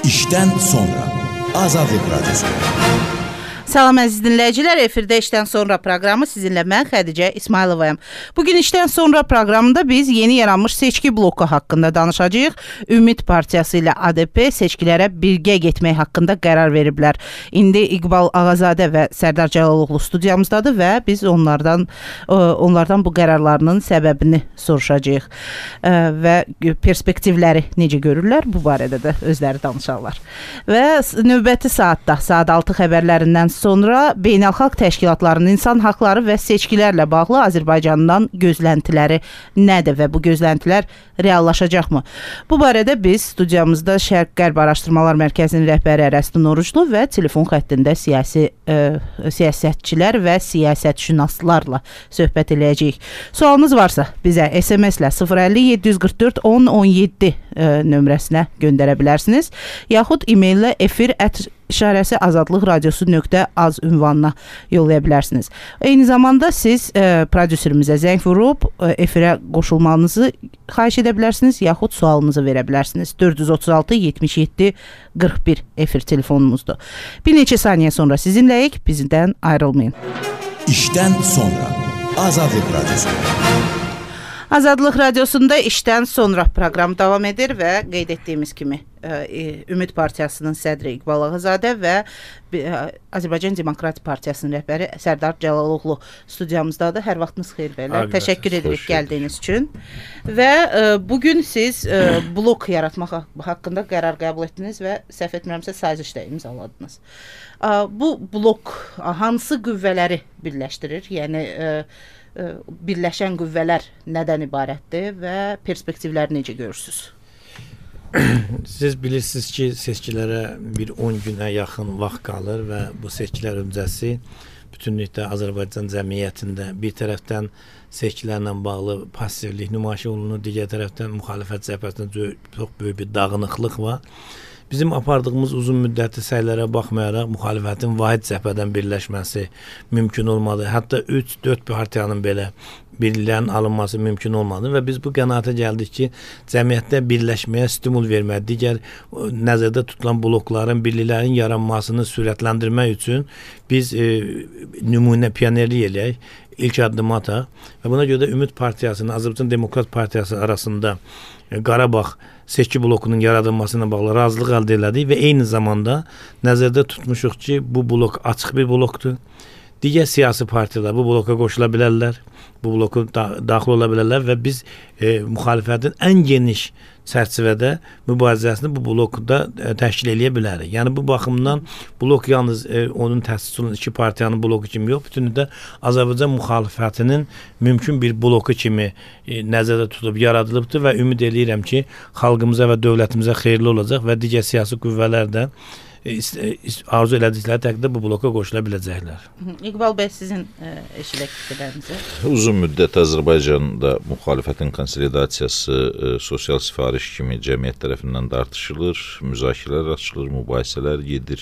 İşdən sonra Azadlıq Radyosu. Salam əziz dinləyicilər, efirdə işdən sonra proqramı sizinlə mən Xədicə İsmayılovayam. Bugün işdən sonra proqramında biz yeni yaranmış seçki bloku haqqında danışacağıq. Ümid Partiyası ilə ADP seçkilərə birgə getmək haqqında qərar veriblər. İndi İqbal Ağazadə və Sərdar Cəlaloğlu studiyamızdadır və biz onlardan bu qərarlarının səbəbini soruşacağıq və perspektivləri necə görürlər, bu barədə də özləri danışarlar. Və növbəti saatda, saat 6 xəbərlərindən sonra beynəlxalq təşkilatların insan haqları və seçkilərlə bağlı Azərbaycandan gözləntiləri nədir və bu gözləntilər reallaşacaqmı? Bu barədə biz studiyamızda Şərq-Qərb Araşdırmalar Mərkəzinin rəhbəri Ərəstun Oruclu və telefon xəttində siyasətçilər və siyasətşünaslarla söhbət eləyəcəyik. Sualınız varsa bizə SMS-lə 050 744 1017 nömrəsinə göndərə bilərsiniz, yaxud e-maillə efir@azadlıqradiosu.az ünvanına yollaya bilərsiniz. Eyni zamanda siz prodüserimizə zəng vurub efirə qoşulmanızı xahiş edə bilərsiniz, yaxud sualınızı verə bilərsiniz. 436 77 41 efir telefonumuzdur. Bir neçə saniyə sonra sizinləyik, bizdən ayrılmayın. İşdən sonra Azadlıq Radyosu. Azadlıq Radiosunda işdən sonra proqram davam edir və qeyd etdiyimiz kimi Ümid Partiyasının sədri İqbal Ağazadə və Azərbaycan Demokratik Partiyasının rəhbəri Sərdar Cəlaloğlu studiyamızdadır. Hər vaxtınız xeyir bəylər. Təşəkkür edirik gəldiyiniz üçün. Və bugün siz blok yaratmaq haqqında qərar qəbul etdiniz və səhv etmirəmsə sazişdə imzaladınız. Bu blok hansı qüvvələri birləşdirir? Yəni birləşən qüvvələr nədən ibarətdir və perspektivləri necə görürsünüz? Siz bilirsiniz ki, seçkilərə bir 10 günə yaxın vaxt qalır və bu seçkilər öncəsi bütünlükdə Azərbaycan cəmiyyətində bir tərəfdən seçkilərlə bağlı passivlik nümayiş olunur, digər tərəfdən müxalifət cəbhəsində çox böyük bir dağınıqlıq var. Bizim apardığımız uzun müddətli səylərə baxmayaraq müxalifətin vahid cəbhədən birləşməsi mümkün olmadı. Hətta 3-4 partiyanın belə birliyin alınması mümkün olmadı və biz bu qənaətə gəldik ki, cəmiyyətdə birləşməyə stimul vermək, digər nəzərdə tutulan blokların, birliklərin yaranmasını sürətləndirmək üçün biz nümunə pionerlik eləyək, ilk addımı ataq və buna görə də Ümid Partiyasının, Azərbaycan Demokrat Partiyası arasında Qarabağ seçki blokunun yaradılmasına bağlı razılıq əldə elədik və eyni zamanda nəzərdə tutmuşuq ki, bu blok açıq bir blokdur. Digər siyasi partiyalar bu bloka qoşula bilərlər, bu bloku daxil ola bilərlər və biz müxalifətin ən geniş çərçivədə mübarizəsini bu blokda təşkil eləyə bilərik. Yəni bu baxımdan blok yalnız onun təsis olunan iki partiyanın bloku kimi yox, bütünlükdə Azərbaycan müxalifətinin mümkün bir bloku kimi nəzərdə tutulub yaradılıbdır və ümid eləyirəm ki, xalqımıza və dövlətimizə xeyirli olacaq və digər siyasi qüvvələr də arzu elədikləri təqdirdə bu bloka qoşula biləcəklər. İqbal bəy, sizin eşidək fikirlərinizi. Uzun müddət Azərbaycanda müxalifətin konsolidasiyası sosial sifariş kimi cəmiyyət tərəfindən tartışılır, müzakirələr açılır, mübahisələr gedir,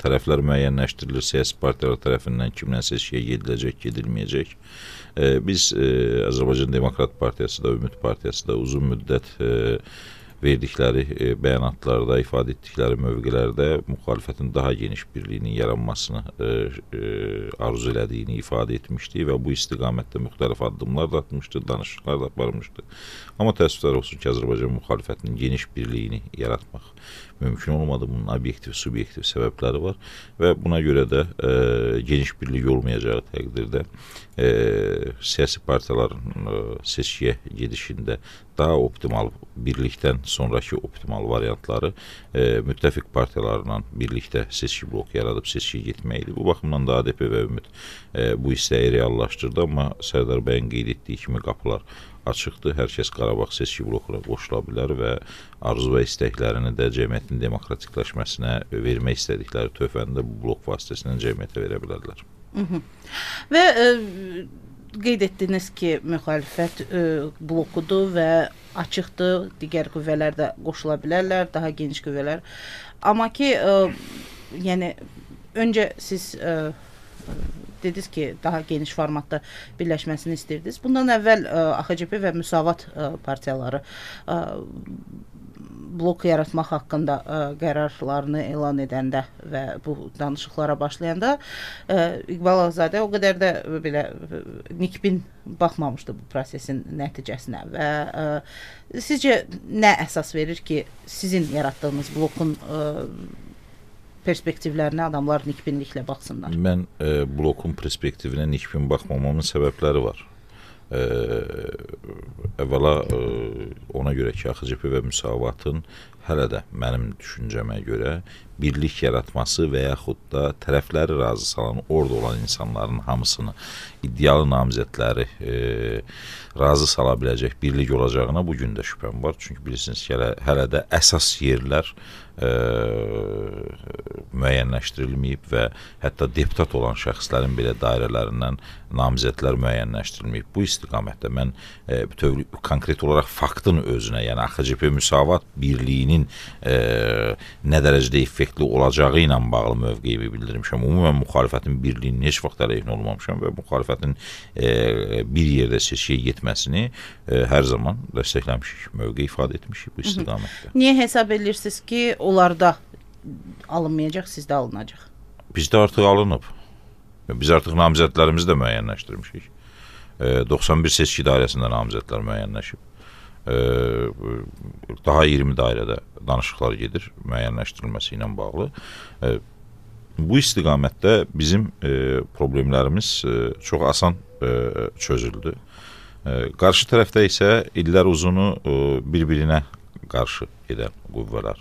tərəflər müəyyənləşdirilir, siyasi partiyalar tərəfindən kimdən seçkiyə gediləcək, gedilməyəcək. Biz Azərbaycan Demokrat Partiyası da, Ümid Partiyası da uzun müddət verdikləri bəyanatlarda, ifadə etdikləri mövqelərdə müxalifətin daha geniş birliyinin yaranmasını arzu elədiyini ifadə etmişdi və bu istiqamətdə müxtəlif addımlar da atmışdı, danışıqlar da aparmışdı. Amma təəssüflər olsun ki, Azərbaycan müxalifətinin geniş birliyini yaratmaq mümkün olmadı. Bunun obyektiv, subyektiv səbəbləri var və buna görə də geniş birlik olmayacağı təqdirdə siyasi partiyaların seçkiyə gedişində daha optimal birlikdən sonraki optimal variantları müttəfiq partiyalarla birlikdə seçki bloku yaradıb seçkiyə getməkdir. Bu baxımdan da ADP və Ümid bu istəyi reallaşdırdı, amma Sərdar bəyin qeyd etdiyi kimi qapılar açıqdır. Hər kəs Qarabağ seçki blokuna qoşula bilər və arzu və istəklərini də cəmiyyətin demokratikləşməsinə vermək istədikləri töhfəni də bu blok vasitəsilə cəmiyyətə verə bilərlər. Və qeyd etdiniz ki, müxalifət blokudur və açıqdır, digər qüvvələr də qoşula bilərlər, daha geniş qüvvələr. Amma ki, yəni öncə siz dediniz ki, daha geniş formatda birləşməsini istəyirdiniz. Bundan əvvəl AXCP və Müsavat partiyaları blok yaratmaq haqqında qərarlarını elan edəndə və bu danışıqlara başlayanda İqbal Ağzadə o qədər də belə nikbin baxmamışdı bu prosesin nəticəsinə və sizcə nə əsas verir ki, sizin yaratdığınız blokun perspektivlərinə adamlar nikbinliklə baxsınlar? Mən blokun perspektivinə nikbin baxmamamın səbəbləri var. Əvvəla ona görə ki, AXCP və Müsavatın hələ də mənim düşüncəmə görə birlik yaratması və yaxud da tərəfləri razı salan, orada olan insanların hamısını, iddialı namizədləri razı sala biləcək birlik olacağına bugün də şübhəm var. Çünki bilirsiniz ki, hələ də əsas yerlər müəyyənləşdirilməyib və hətta deputat olan şəxslərin belə dairələrindən namizədlər müəyyənləşdirilməyib. Bu istiqamətdə mən konkret olaraq faktın özünə, yəni AXCP Müsavat birliyinin nə dərəcədə effektli olacağı ilə bağlı mövqeyimi bildirmişəm. Ümumən müxalifətin birliyinin heç vaxt əleyhinə olmamışam və müxalifətin bir yerdə seçkiyə getməsini hər zaman dəstəkləmişik, mövqe ifadə etmişik bu istiqamətdə. Niyə hesab edirsiniz ki, onlarda alınmayacaq, sizdə alınacaq? Bizdə artıq alınıb. Biz artıq namizədlərimizi də müəyyənləşdirmişik. 91 seçki dairəsində namizədlər müəyyənləşib. Daha 20 dairədə danışıqlar gedir müəyyənləşdirilməsi ilə bağlı. Bu istiqamətdə bizim problemlərimiz çox asan çözüldü. Qarşı tərəfdə isə illər uzunu bir-birinə qarşı gedən qüvvələr,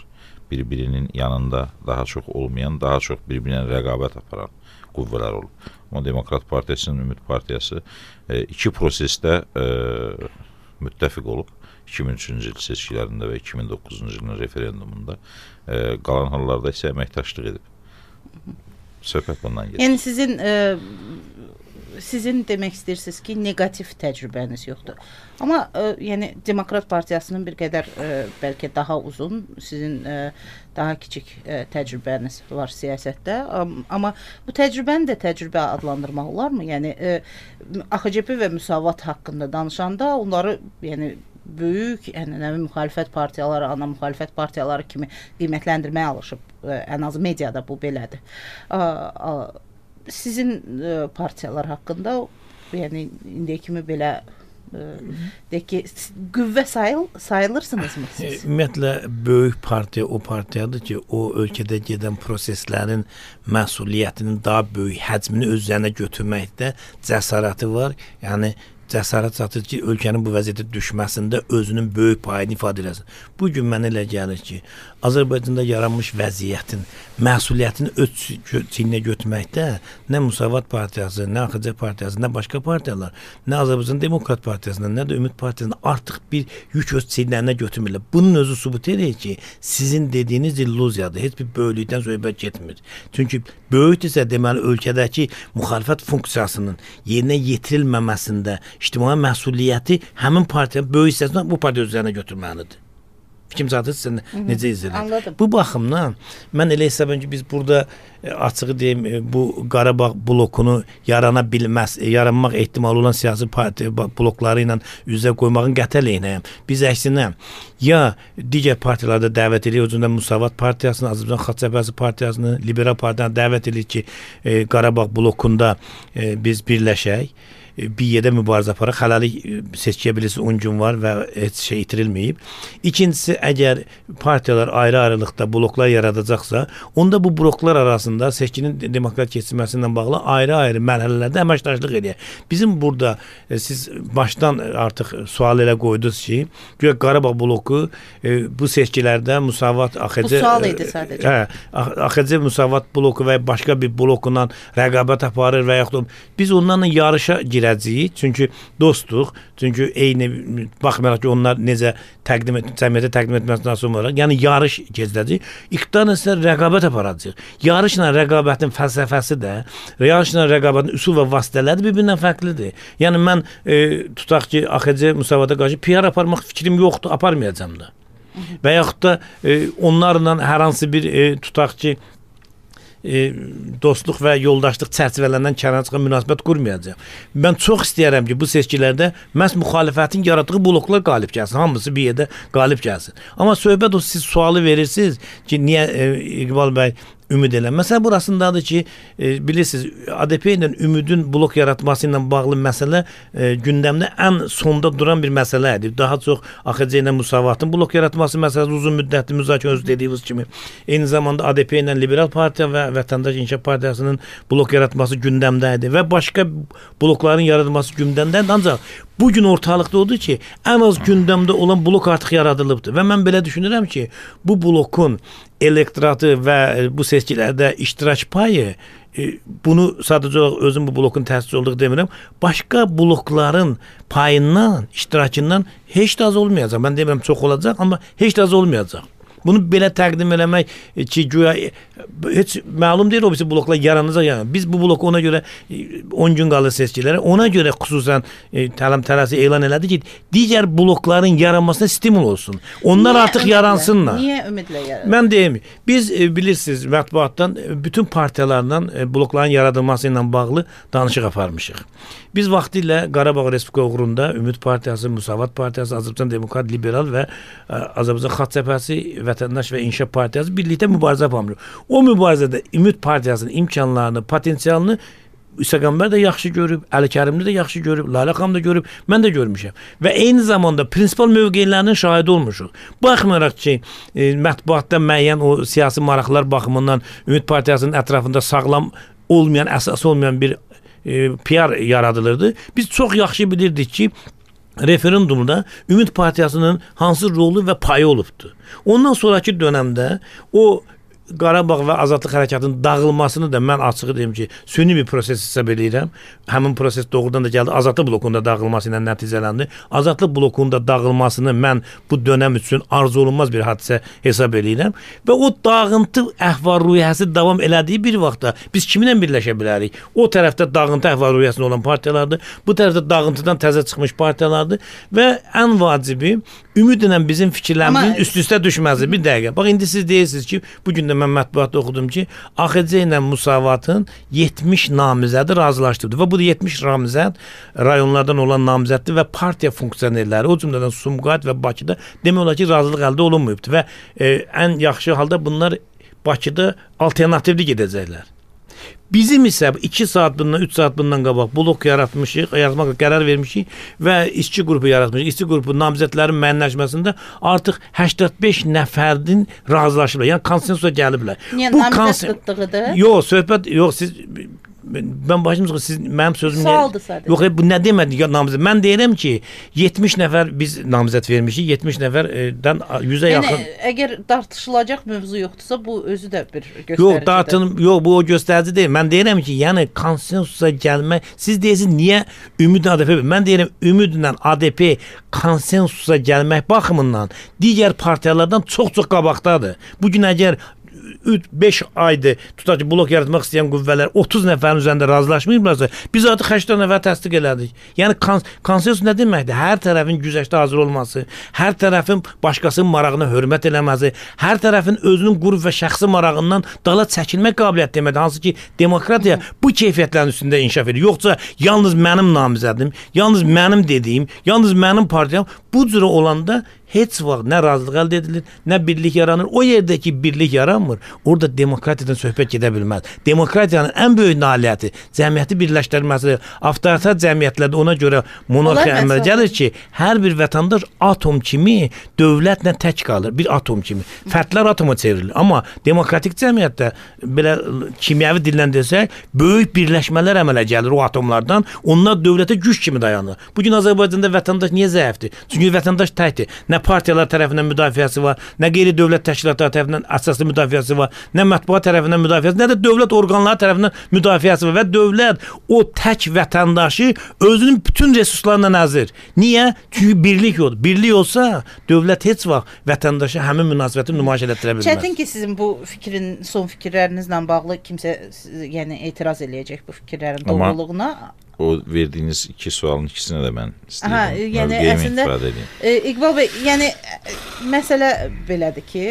bir-birinin yanında daha çox olmayan, daha çox bir-birinə rəqabət aparan qüvvələr olub. Amma Demokrat Partiyasının Ümid Partiyası iki prosesdə müttəfiq olub. 2003-cü il seçkilərində və 2009-cu ilin referendumunda, qalan hallarda isə əməkdaşlıq edib. Söhbət bundan gedir. Yəni sizin demək istəyirsiniz ki, negativ təcrübəniz yoxdur. Amma yəni Demokrat Partiyasının bir qədər bəlkə daha uzun, sizin daha kiçik təcrübəniz var siyasətdə. Amma bu təcrübəni də təcrübə adlandırmaq olarmı? Yəni AXCP və Müsavat haqqında danışanda onları yəni böyük ənənəvi müxalifət partiyaları, ana müxalifət partiyaları kimi qiymətləndirməyə alışıb. Ən azı mediada bu belədir. Sizin partiyalar haqqında, yəni indiyə kimi belə deyək ki, qüvvə sayılırsınızmı siz? Ümumiyyətlə, böyük partiya o partiyadır ki, o ölkədə gedən proseslərin məsuliyyətinin daha böyük həcmini öz üzərinə götürməkdə cəsarəti var. Yəni cəsarət çatır ki, ölkənin bu vəziyyətə düşməsində özünün böyük payını ifadə eləsin. Bugün mənə elə gəlir ki, Azərbaycanda yaranmış vəziyyətin məsuliyyətini öz çiyninə götürməkdə nə Müsavat Partiyası, nə AXCP Partiyası, nə başqa partiyalar, nə Azərbaycan Demokrat Partiyasından, nə də Ümid Partiyasından artıq bir yük öz çiyinlərinə götürmürlər. Bunun özü sübut edir ki, sizin dediyiniz illüziyadır. Heç bir böyüklükdən söhbət getmir. Çünki böyükdürsə, deməli, ölkədəki müxalifət funksiyasının yerinə yetirilməməsində ictimai məsuliyyəti həmin partiyanın böyük hissəsindən bu partiya üzərinə götürməlidir. Fikrim zaten sizə necə izləyir? Bu baxımdan mən elə hesab edirəm ki, biz burada açığı deyim, bu Qarabağ blokunu yaranmaq ehtimalı olan siyasi partiya blokları ilə üzə qoymağın qəti əleyhinəyəm. Biz əksinə ya digər partiyalarda dəvət edirik, o cümlədən Müsavat Partiyasını, Azərbaycan Xalq Cəbhəsi Partiyasını, Liberal Partiyanı dəvət edirik ki, Qarabağ blokunda biz birləşək. Bir yerdə mübarizə aparaq, hələlik seçkiyə bilirsiniz 10 gün var və heç şey itirilməyib. İkincisi, əgər partiyalar ayrı-ayrılıqda bloklar yaradacaqsa, onda bu bloklar arasında seçkinin demokrat keçirməsindən bağlı ayrı-ayrı mərhələlərdə əməkdaşlıq edək. Bizim burada siz başdan artıq sual elə qoydunuz ki, güya Qarabağ bloku bu seçkilərdə Müsavat AXC... Bu sual idi sadəcə. AXC Müsavat bloku və başqa bir blokundan rəqabət aparır və yaxud biz onlarla yarışa girək. Çünki dostuq, çünki eyni baxmayaraq ki, onlar necə cəmiyyətə təqdim etməsindən sonra olaraq, yəni yarış keçəcək. İqtidarla isə rəqabət aparacaq. Yarışla rəqabətin fəlsəfəsi də, yarışla rəqabətin üsul və vasitələri bir-birindən fərqlidir. Yəni mən tutaq ki, AXC Müsavata qarşı PR aparmaq fikrim yoxdur, aparmayacam da. Və yaxud da onlarla hər hansı bir tutaq ki, dostluq və yoldaşlıq çərçivələrindən kənara çıxan münasibət qurmayacaq. Mən çox istəyirəm ki, bu seçkilərdə məhz müxalifətin yaratdığı bloklar qalib gəlsin. Hamısı bir yerdə qalib gəlsin. Amma söhbət o, siz sualı verirsiniz ki, niyə İqbal bəy ümid elə. Məsələ burasındadır ki, bilirsiniz, ADP ilə ümidin blok yaratması ilə bağlı məsələ gündəmdə ən sonda duran bir məsələ idi. Daha çox AXC ilə Müsavatın blok yaratması məsələsi uzun müddətli müzakirə özü dediyiniz kimi. Eyni zamanda ADP ilə Liberal Partiya və Vətəndaş İnkişaf Partiyasının blok yaratması gündəmdə idi və başqa blokların yaradılması gündəmdədir. Ancaq bugün ortalıqda odur ki, ən az gündəmdə olan blok artıq yaradılıbdır və mən belə düşünürəm ki, bu blokun elektoratı və bu seçkilərdə iştirak payı, bunu sadəcə olaraq özüm bu blokun təsisi olduğu demirəm, başqa blokların payından, iştirakından heç də az olmayacaq. Mən demirəm çox olacaq, amma heç də az olmayacaq. Bunu belə təqdim eləmək ki, güya heç məlum deyil o birisi bloklar yaranacaq. Yəni. Biz bu bloku ona görə 10 gün qalır seçkilərə, ona görə xüsusən tələsi elan elədi ki, digər blokların yaranmasına stimul olsun. Onlar niyə artıq yaransınlar. Niyə ümidlə yaranır? Mən deyim, biz bilirsiniz mətbuatdan bütün partiyalardan blokların yaradılması ilə bağlı danışıq aparmışıq. Biz vaxtilə Qarabağ Respublika uğrunda Ümid Partiyası, Müsavat Partiyası, Azərbaycan Demokrat Liberal və Azərbaycan Xalq Cəbhəsi, Vətəndaş və İnkişaf Partiyası birlikdə mübarizə aparmışıq. O mübarizədə Ümid Partiyasının imkanlarını, potensialını İsəqəmbər də yaxşı görüb, Əli Kərimli də yaxşı görüb, Lalə xanım da görüb, mən də görmüşəm. Və eyni zamanda prinsipal mövqelərinin şahidi olmuşuq. Baxmayaraq ki, mətbuatda müəyyən o siyasi maraqlar baxımından Ümid Partiyasının ətrafında sağlam olmayan, əsas olmayan bir PR yaradılırdı. Biz çox yaxşı bilirdik ki, referendumda Ümid Partiyasının hansı rolu və payı olubdu. Ondan sonraki dönəmdə o Qarabağ və Azadlıq Hərəkatının dağılmasını da mən açığı deyim ki, süni bir proses hesab edirəm. Həmin proses doğrudan da gəldi. Azadlıq blokunda dağılması ilə nəticələndi. Azadlıq blokunda dağılmasını mən bu dönəm üçün arzu olunmaz bir hadisə hesab edirəm. Və o dağıntı əhval-ruhiyyəsi davam elədiyi bir vaxtda biz kiminlə birləşə bilərik? O tərəfdə dağıntı əhval-ruhiyyəsində olan partiyalardır. Bu tərəfdə dağıntıdan təzə çıxmış partiyalardır. Və ən vacibi ümidlə bizim fikirlərimizin üst-üstə düşməsi. Bir dəqiqə. Bax, indi siz deyirsiniz ki, bugün də mən mətbuatda oxudum ki, AXC ilə Müsavatın 70 namizədi razılaşdırdı və bu da 70 namizəd rayonlardan olan namizəddir və partiya funksionerləri, o cümlədən Sumqayıt və Bakıda demək olar ki, razılıq əldə olunmayıbdır və ən yaxşı halda bunlar Bakıda alternativli gedəcəklər. Bizim isə 2 saat bundan, 3 saat bundan qabaq blok yaratmışıq, yaratmağa qərar vermişik və işçi qrupu yaratmışıq. İşçi qrupu namizədlərin müəyyənləşməsində artıq 85 nəfərin razılaşıblar. Yəni konsensusa gəliblər. Yəni namizəd qıtlığıdır? Yox, söhbət, yox, siz mən başımızda siz mənim sözüm sualdır sadəcə. Yox, bu nə demədi namizəd? Mən deyirəm ki, 70 nəfər biz namizəd vermişik, 70 nəfərdən 100-ə yaxın. Yəni əgər tartışılacaq mövzu yoxdursa, bu özü də bir göstəricidir. Yox, bu o göstərici deyil. Mən deyirəm ki, yəni konsensusa gəlmək, siz deyirsiniz niyə Ümid ADP? Mən deyirəm Ümidlə ADP konsensusa gəlmək baxımından digər partiyalardan çox-çox qabaqdadır. Bu gün əgər 5 aydır tutaq ki, blok yaratmaq istəyən qüvvələr 30 nəfərin üzərində razılaşmayıblarsa, biz artıq 80 nəfər təsdiq elədik. Yəni konsensus nə deməkdir? Hər tərəfin güzəştə hazır olması, hər tərəfin başqasının marağına hörmət eləməsi, hər tərəfin özünün qrup və şəxsi marağından dala çəkilmək qabiliyyəti deməkdir. Hansı ki, demokratiya bu keyfiyyətlərin üstündə inkişaf edir. Yoxsa yalnız mənim namizədim, yalnız mənim dediyim, yalnız mənim partiyam bu cürə olanda heç vaxt nə razılıq əldə edilir, nə birlik yaranır. O yerdəki birlik yaranmır, orada demokratiyadan söhbət gedə bilməz. Demokratiyanın ən böyük nailiyyəti cəmiyyəti birləşdirməsidir. Avtoritar cəmiyyətlərdə ona görə monarxiya əmələ gəlir ki, hər bir vətəndaş atom kimi dövlətlə tək qalır, bir atom kimi. Fərdlər atoma çevrilir. Amma demokratik cəmiyyətdə belə kimyəvi dillə desək, böyük birləşmələr əmələ gəlir o atomlardan. Onlar dövlətə güc kimi dayanır. Bugün Azərbaycanda vətəndaş niyə zəifdir? Çünki vətəndaş təkdir. Nə partiyalar tərəfindən müdafiəsi var, nə qeyri-dövlət təşkilatları tərəfindən əsaslı müdafiəsi var, nə mətbuat tərəfindən müdafiəsi, nə də dövlət orqanları tərəfindən müdafiəsi var və dövlət o tək vətəndaşı özünün bütün resurslarına nəzir. Niyə? Çünki birlik yoxdur. Birlik olsa dövlət heç vaxt vətəndaşa həmin münasibəti nümayiş etdirə bilməz. Çətin ki, sizin bu fikrin, son fikirlərinizlə bağlı kimsə yəni etiraz eləyəcək bu fikirlərin doğruluğuna. O verdiyiniz 2 sualın ikisini də mən istəyirəm. Yəni əslində İqbal bəy, yəni məsələ belədir ki,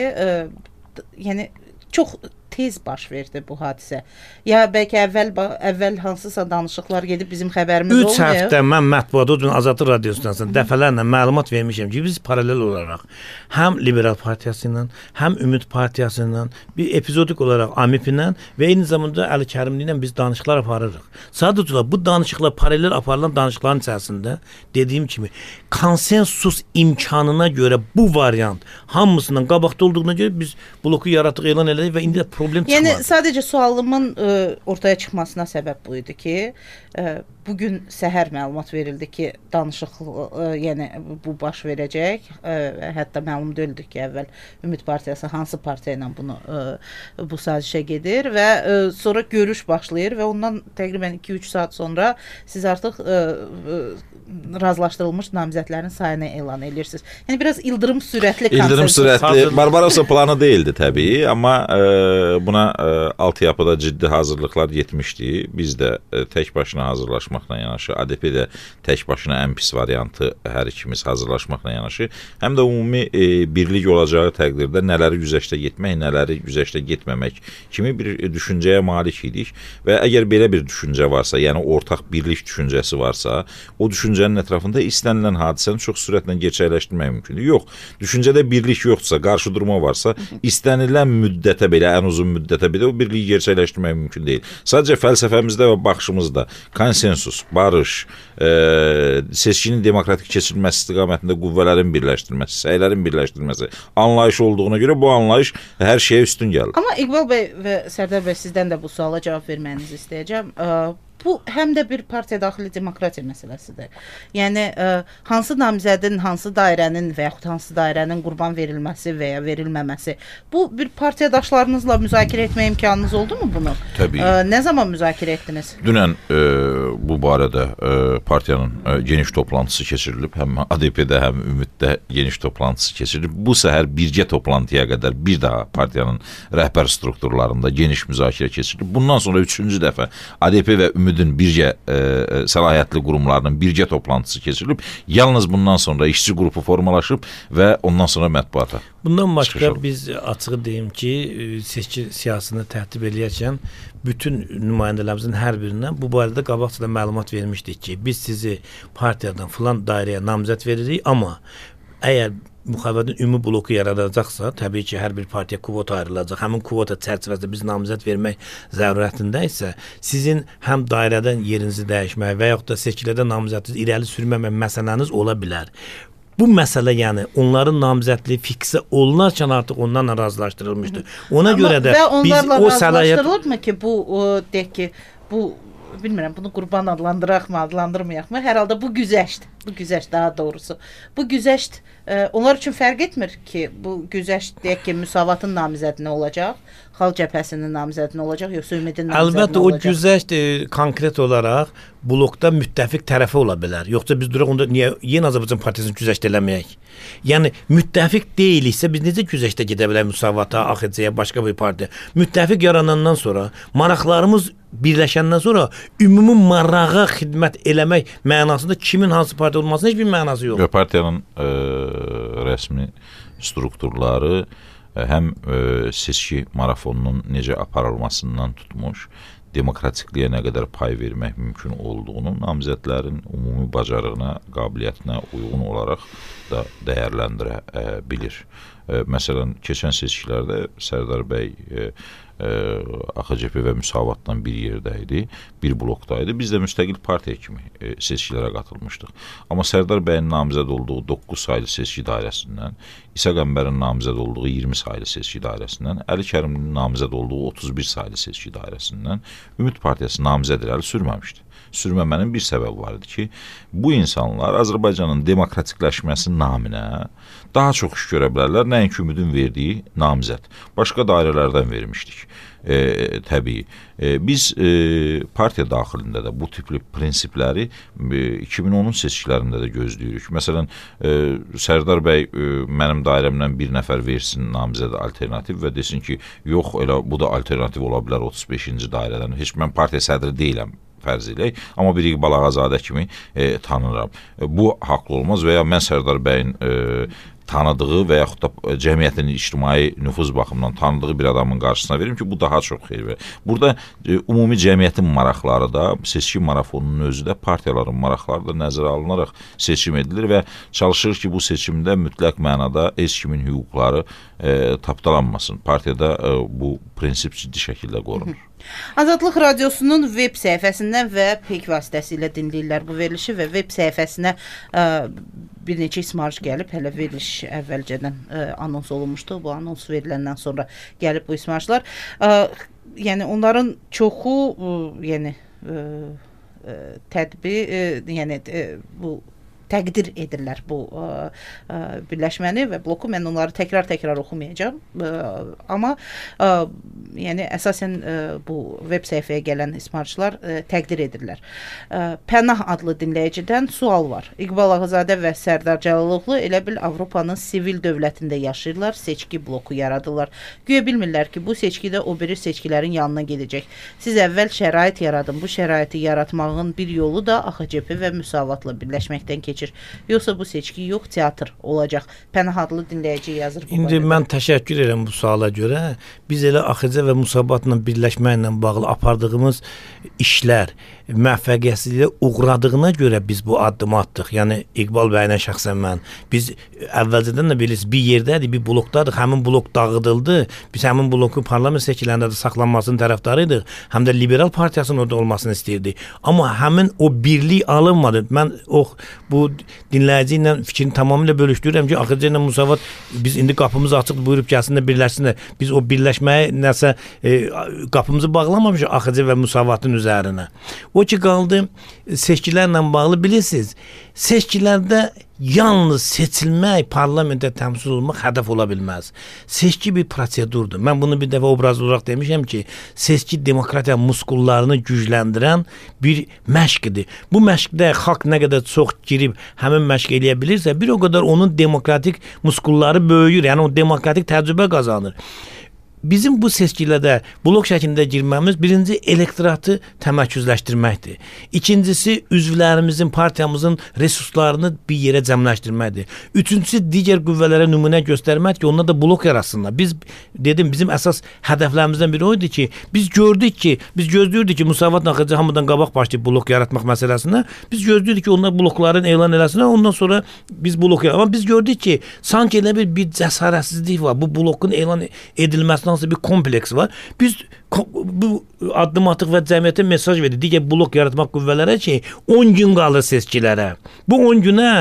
yəni çox tez baş verdi bu hadisə? Ya bəlkə əvvəl hansısa danışıqlar gedib bizim xəbərimiz olmuyor? 3 həftə mən mətbuatda dün Azadlıq Radiosundan dəfələrlə məlumat vermişəm ki, biz paralel olaraq həm Liberal Partiyası ilə, həm Ümid Partiyası ilə, bir epizodik olaraq AMİP ilə və eyni zamanda Əli Kərimli ilə biz danışıqlar aparırıq. Sadəcə bu danışıqlar paralel aparılan danışıqların içərisində dediyim kimi konsensus imkanına görə bu variant hamısından qabaqda olduğuna görə biz bloku yaratdıq, elan elədik və indi problem çıxmadı. Yəni sadəcə sualımın ortaya çıxmasına səbəb bu idi ki, bugün səhər məlumat verildi ki, danışıq yəni bu baş verəcək. Hətta məlum deyildi ki, əvvəl Ümid Partiyası hansı partiya ilə bu sazişə gedir və sonra görüş başlayır və ondan təqribən 2-3 saat sonra siz artıq razılaşdırılmış namizədlərin sayını elan edirsiniz. Yəni biraz ildırım sürətli İldırım sürətli Barbarossa planı değildi təbii, amma buna altyapıda ciddi hazırlıqlar yetmişdi. Biz də tək başına hazırlaşmaqla yanaşı, ADP də tək başına ən pis variantı hər ikimiz hazırlaşmaqla yanaşı, həm də ümumi birlik olacağı təqdirdə nələri güzəştə getmək, nələri güzəştə getməmək kimi bir düşüncəyə malik idik və əgər belə bir düşüncə varsa, yəni ortaq birlik düşüncəsi varsa, o düşüncənin ətrafında istənilən hadisəni çox sürətlə gerçəkləşdirmək mümkündür. Yox, düşüncədə birlik yoxdursa, qarşıdurma varsa, istənilən müddətə belə, ən uzun müddətə belə o birliyi gerçəkləşdirmək mümkün deyil. Sadəcə fəlsəfəmizdə və baxışımızda konsensus, barış, seçkinin demokratik keçirilməsi istiqamətində qüvvələrin birləşdirilməsi, səylərin birləşdirilməsi anlayış olduğuna görə bu anlayış hər şeyə üstün gəlir. Amma İqbal bəy və Sərdar bəy, sizdən də bu suala cavab verməyinizi istəyəcəm. Bu həm də bir partiya daxili demokratiya məsələsidir. Yəni hansı namizədin, hansı dairənin və yaxud hansı dairənin qurban verilməsi və ya verilməməsi, bu bir partiyadaşlarınızla müzakirə etmə imkanınız oldu mu bunu? Təbii. Nə zaman müzakirə etdiniz? Dünən bu barədə partiyanın geniş toplantısı keçirilib, həm ADP-də, həm Ümiddə geniş toplantısı keçirilib. Bu səhər birgə toplantıya qədər bir daha partiyanın rəhbər strukturlarında geniş müzakirə keçirilib. Bundan sonra 3-cü dəfə ADP və Ümidin birgə səlahiyyətli qurumlarının birgə toplantısı keçirilib. Yalnız bundan sonra işçi qrupu formalaşıb və ondan sonra mətbuata. Bundan başqa biz açığı deyim ki, seçki siyasını tərtib eləyərkən bütün nümayəndələrimizin hər birindən bu barədə qabaqcadan məlumat vermişdik ki, biz sizi partiyadan filan dairəyə namizəd veririk, amma əgər müxalifətin ümumi bloku yaradacaqsa, təbii ki, hər bir partiya kvota ayrılacaq. Həmin kvota çərçivəsində biz namizəd vermək zərurətində isə sizin həm dairədən yerinizi dəyişmək və yaxud da seçkilərdə namizədinizi irəli sürməmək məsələniz ola bilər. Bu məsələ, yəni onların namizədliyi fiksə olunarkən artıq ondan razılaşdırılmışdır. Ona görə də biz o səlahiyyət razılaşdırılıbmı ki, bu deyək ki, bu bilmirəm, bunu qurban adlandıraqmı, adlandırmayaqmı? Hər halda bu güzəşt daha doğrusu. Bu güzəşt onlar üçün fərq etmir ki, bu güzəşt deyək ki, Müsavatın namizədinə olacaq, Xalq Cəbhəsinin namizədinə olacaq, yoxsa Ümidin namizədinə olacaq? Əlbəttə, o güzəşt konkret olaraq blokda müttəfiq tərəfi ola bilər. Yoxsa biz duraq onda niyə Yeni Azərbaycan Partiyasını güzəşt eləməyək? Yəni müttəfiq deyiliksə biz necə güzəştə gedə bilərik Müsavata, AXC-yə, başqa bir partiya? Müttəfiq yaranandan sonra, maraqlarımız birləşəndən sonra ümumi marağa xidmət eləmək mənasında kimin hansı partiya olmasının heç bir mənası yox. Partiyanın rəsmi strukturları həm seçki marafonunun necə aparılmasından tutmuş, demokratikliyə nə qədər pay vermək mümkün olduğunu namizədlərin ümumi bacarığına, qabiliyyətinə uyğun olaraq da dəyərləndirə bilir. Məsələn, keçən seçkilərdə Sərdar bəy AXCP və Müsavatla bir yerdə idi, bir blokdaydı. Biz də müstəqil partiya kimi seçkilərə qatılmışdıq. Amma Sərdar bəyin namizəd olduğu 9 saylı seçki dairəsindən, İsa Qəmbərin namizəd olduğu 20 saylı seçki dairəsindən, Əli Kərimlinin namizəd olduğu 31 saylı seçki dairəsindən Ümid Partiyası namizəd irəli sürməmişdi. Sürməmənin bir səbəbi var idi ki, bu insanlar Azərbaycanın demokratikləşməsi naminə daha çox iş görə bilərlər, nəinki Ümidin verdiyi namizəd. Başqa dairələrdən vermişdik. Təbii. Biz partiya daxilində də bu tipli prinsipləri 2010-un seçkilərində də gözləyirik. Məsələn, Sərdar bəy mənim dairəmdən bir nəfər versin namizəd alternativ və desin ki, yox, elə bu da alternativ ola bilər 35-ci dairədən. Heç mən partiya sədri deyiləm fərz eləyək, amma bir İqbal Ağazadə kimi tanınıram. Bu haqlı olmaz və ya mən Sərdar bəyin tanıdığı və yaxud da cəmiyyətin ictimai nüfuz baxımından tanıdığı bir adamın qarşısına verim ki, bu daha çox xeyir verir. Burada ümumi cəmiyyətin maraqları da, seçki marafonunun özü də partiyaların maraqları da nəzərə alınaraq seçim edilir və çalışır ki, bu seçimdə mütləq mənada heç kimin hüquqları tapdalanmasın. Partiyada bu prinsip ciddi şəkildə qorunur. Azadlıq Radiosunun web səhifəsindən və PEK vasitəsilə dinləyirlər bu verilişi və web səhifəsinə bir neçə ismarış gəlib. Hələ veriliş əvvəlcədən anons olunmuşdu. Bu anons veriləndən sonra gəlib bu ismarışlar. Yəni onların çoxu bu təqdir edirlər bu birləşməni və bloku. Mən onları təkrar oxumayacağam. Amma yəni əsasən bu web səhifəyə gələn ismarışlar təqdir edirlər. Pənah adlı dinləyicidən sual var. İqbal Ağazadə və Sərdar Cəlalovlu elə bil Avropanın sivil dövlətində yaşayırlar, seçki bloku yaradırlar. Güya bilmirlər ki, bu seçkidə o biri seçkilərin yanına gedəcək. Siz əvvəl şərait yaradın. Bu şəraiti yaratmağın bir yolu da AXCP və müsavatla birləşməkdən keçir. Yoxsa bu seçki yox, teatr olacaq. Pənah adlı dinləyici yazır. İndi mən təşəkkür edirəm bu suala görə. Biz elə AXC və müsabatla birləşməklə bağlı apardığımız işlər müvəffəqiyyətsizliyə uğradığına görə biz bu addımı atdıq. Yəni İqbal bəylə şəxsən mən. Biz əvvəlcədən də bilirsiniz, bir yerdədik, bir blokdadıq. Həmin blok dağıdıldı. Biz həmin blokun parlament seçkilərində də saxlanmasının tərəfdarıydıq. Həm də Liberal Partiyasının orada olmasını istəyirdik. Amma həmin o birlik alınmadı. Mən bu dinləyici ilə fikrini tamamilə bölüşdürürəm ki, AXC ilə müsavat biz indi qapımız açıq, buyurub gəlsinlər, birləşsinlər. Biz o birləşməyə nəsə qapımızı bağlamamışıq AXC və müsavatın üzərinə. O ki qaldı seçkilərlə bağlı bilirsiniz. Seçkilərdə yalnız seçilmək, parlamentə təmsil olmaq hədəf ola bilməz. Seçki bir prosedurdur. Mən bunu bir dəfə obraz olaraq demişəm ki, seçki demokratiya muskullarını gücləndirən bir məşqdir. Bu məşqdə xalq nə qədər çox girib həmin məşq eləyə bilirsə, bir o qədər onun demokratik muskulları böyüyür. Yəni o demokratik təcrübə qazanır. Bizim bu seçkilərdə blok şəklində girməmiz birinci elektoratı təmərküzləşdirməkdir. İkincisi üzvlərimizin, partiyamızın resurslarını bir yerə cəmləşdirməkdir. Üçüncüsü digər qüvvələrə nümunə göstərmək ki, onlar da blok yaratsınlar. Bizim əsas hədəflərimizdən biri oydu ki, biz gözləyirdik ki, müsavat AXC hamıdan qabaq başlayıb blok yaratmaq məsələsinə. Biz gözləyirdik ki, onlar blokların elan eləsinlər, ondan sonra biz blok yaratmaq. Amma biz gördük ki, sanki elə bir cəsarətsizlik var. Bu blokun elan edilməsi nasıl bir kompleks var. Biz bu addım atıq və cəmiyyətə mesaj verdik. Digər blok yaratmaq qüvvələrə ki, 10 gün qalır seçkilərə. Bu 10 günə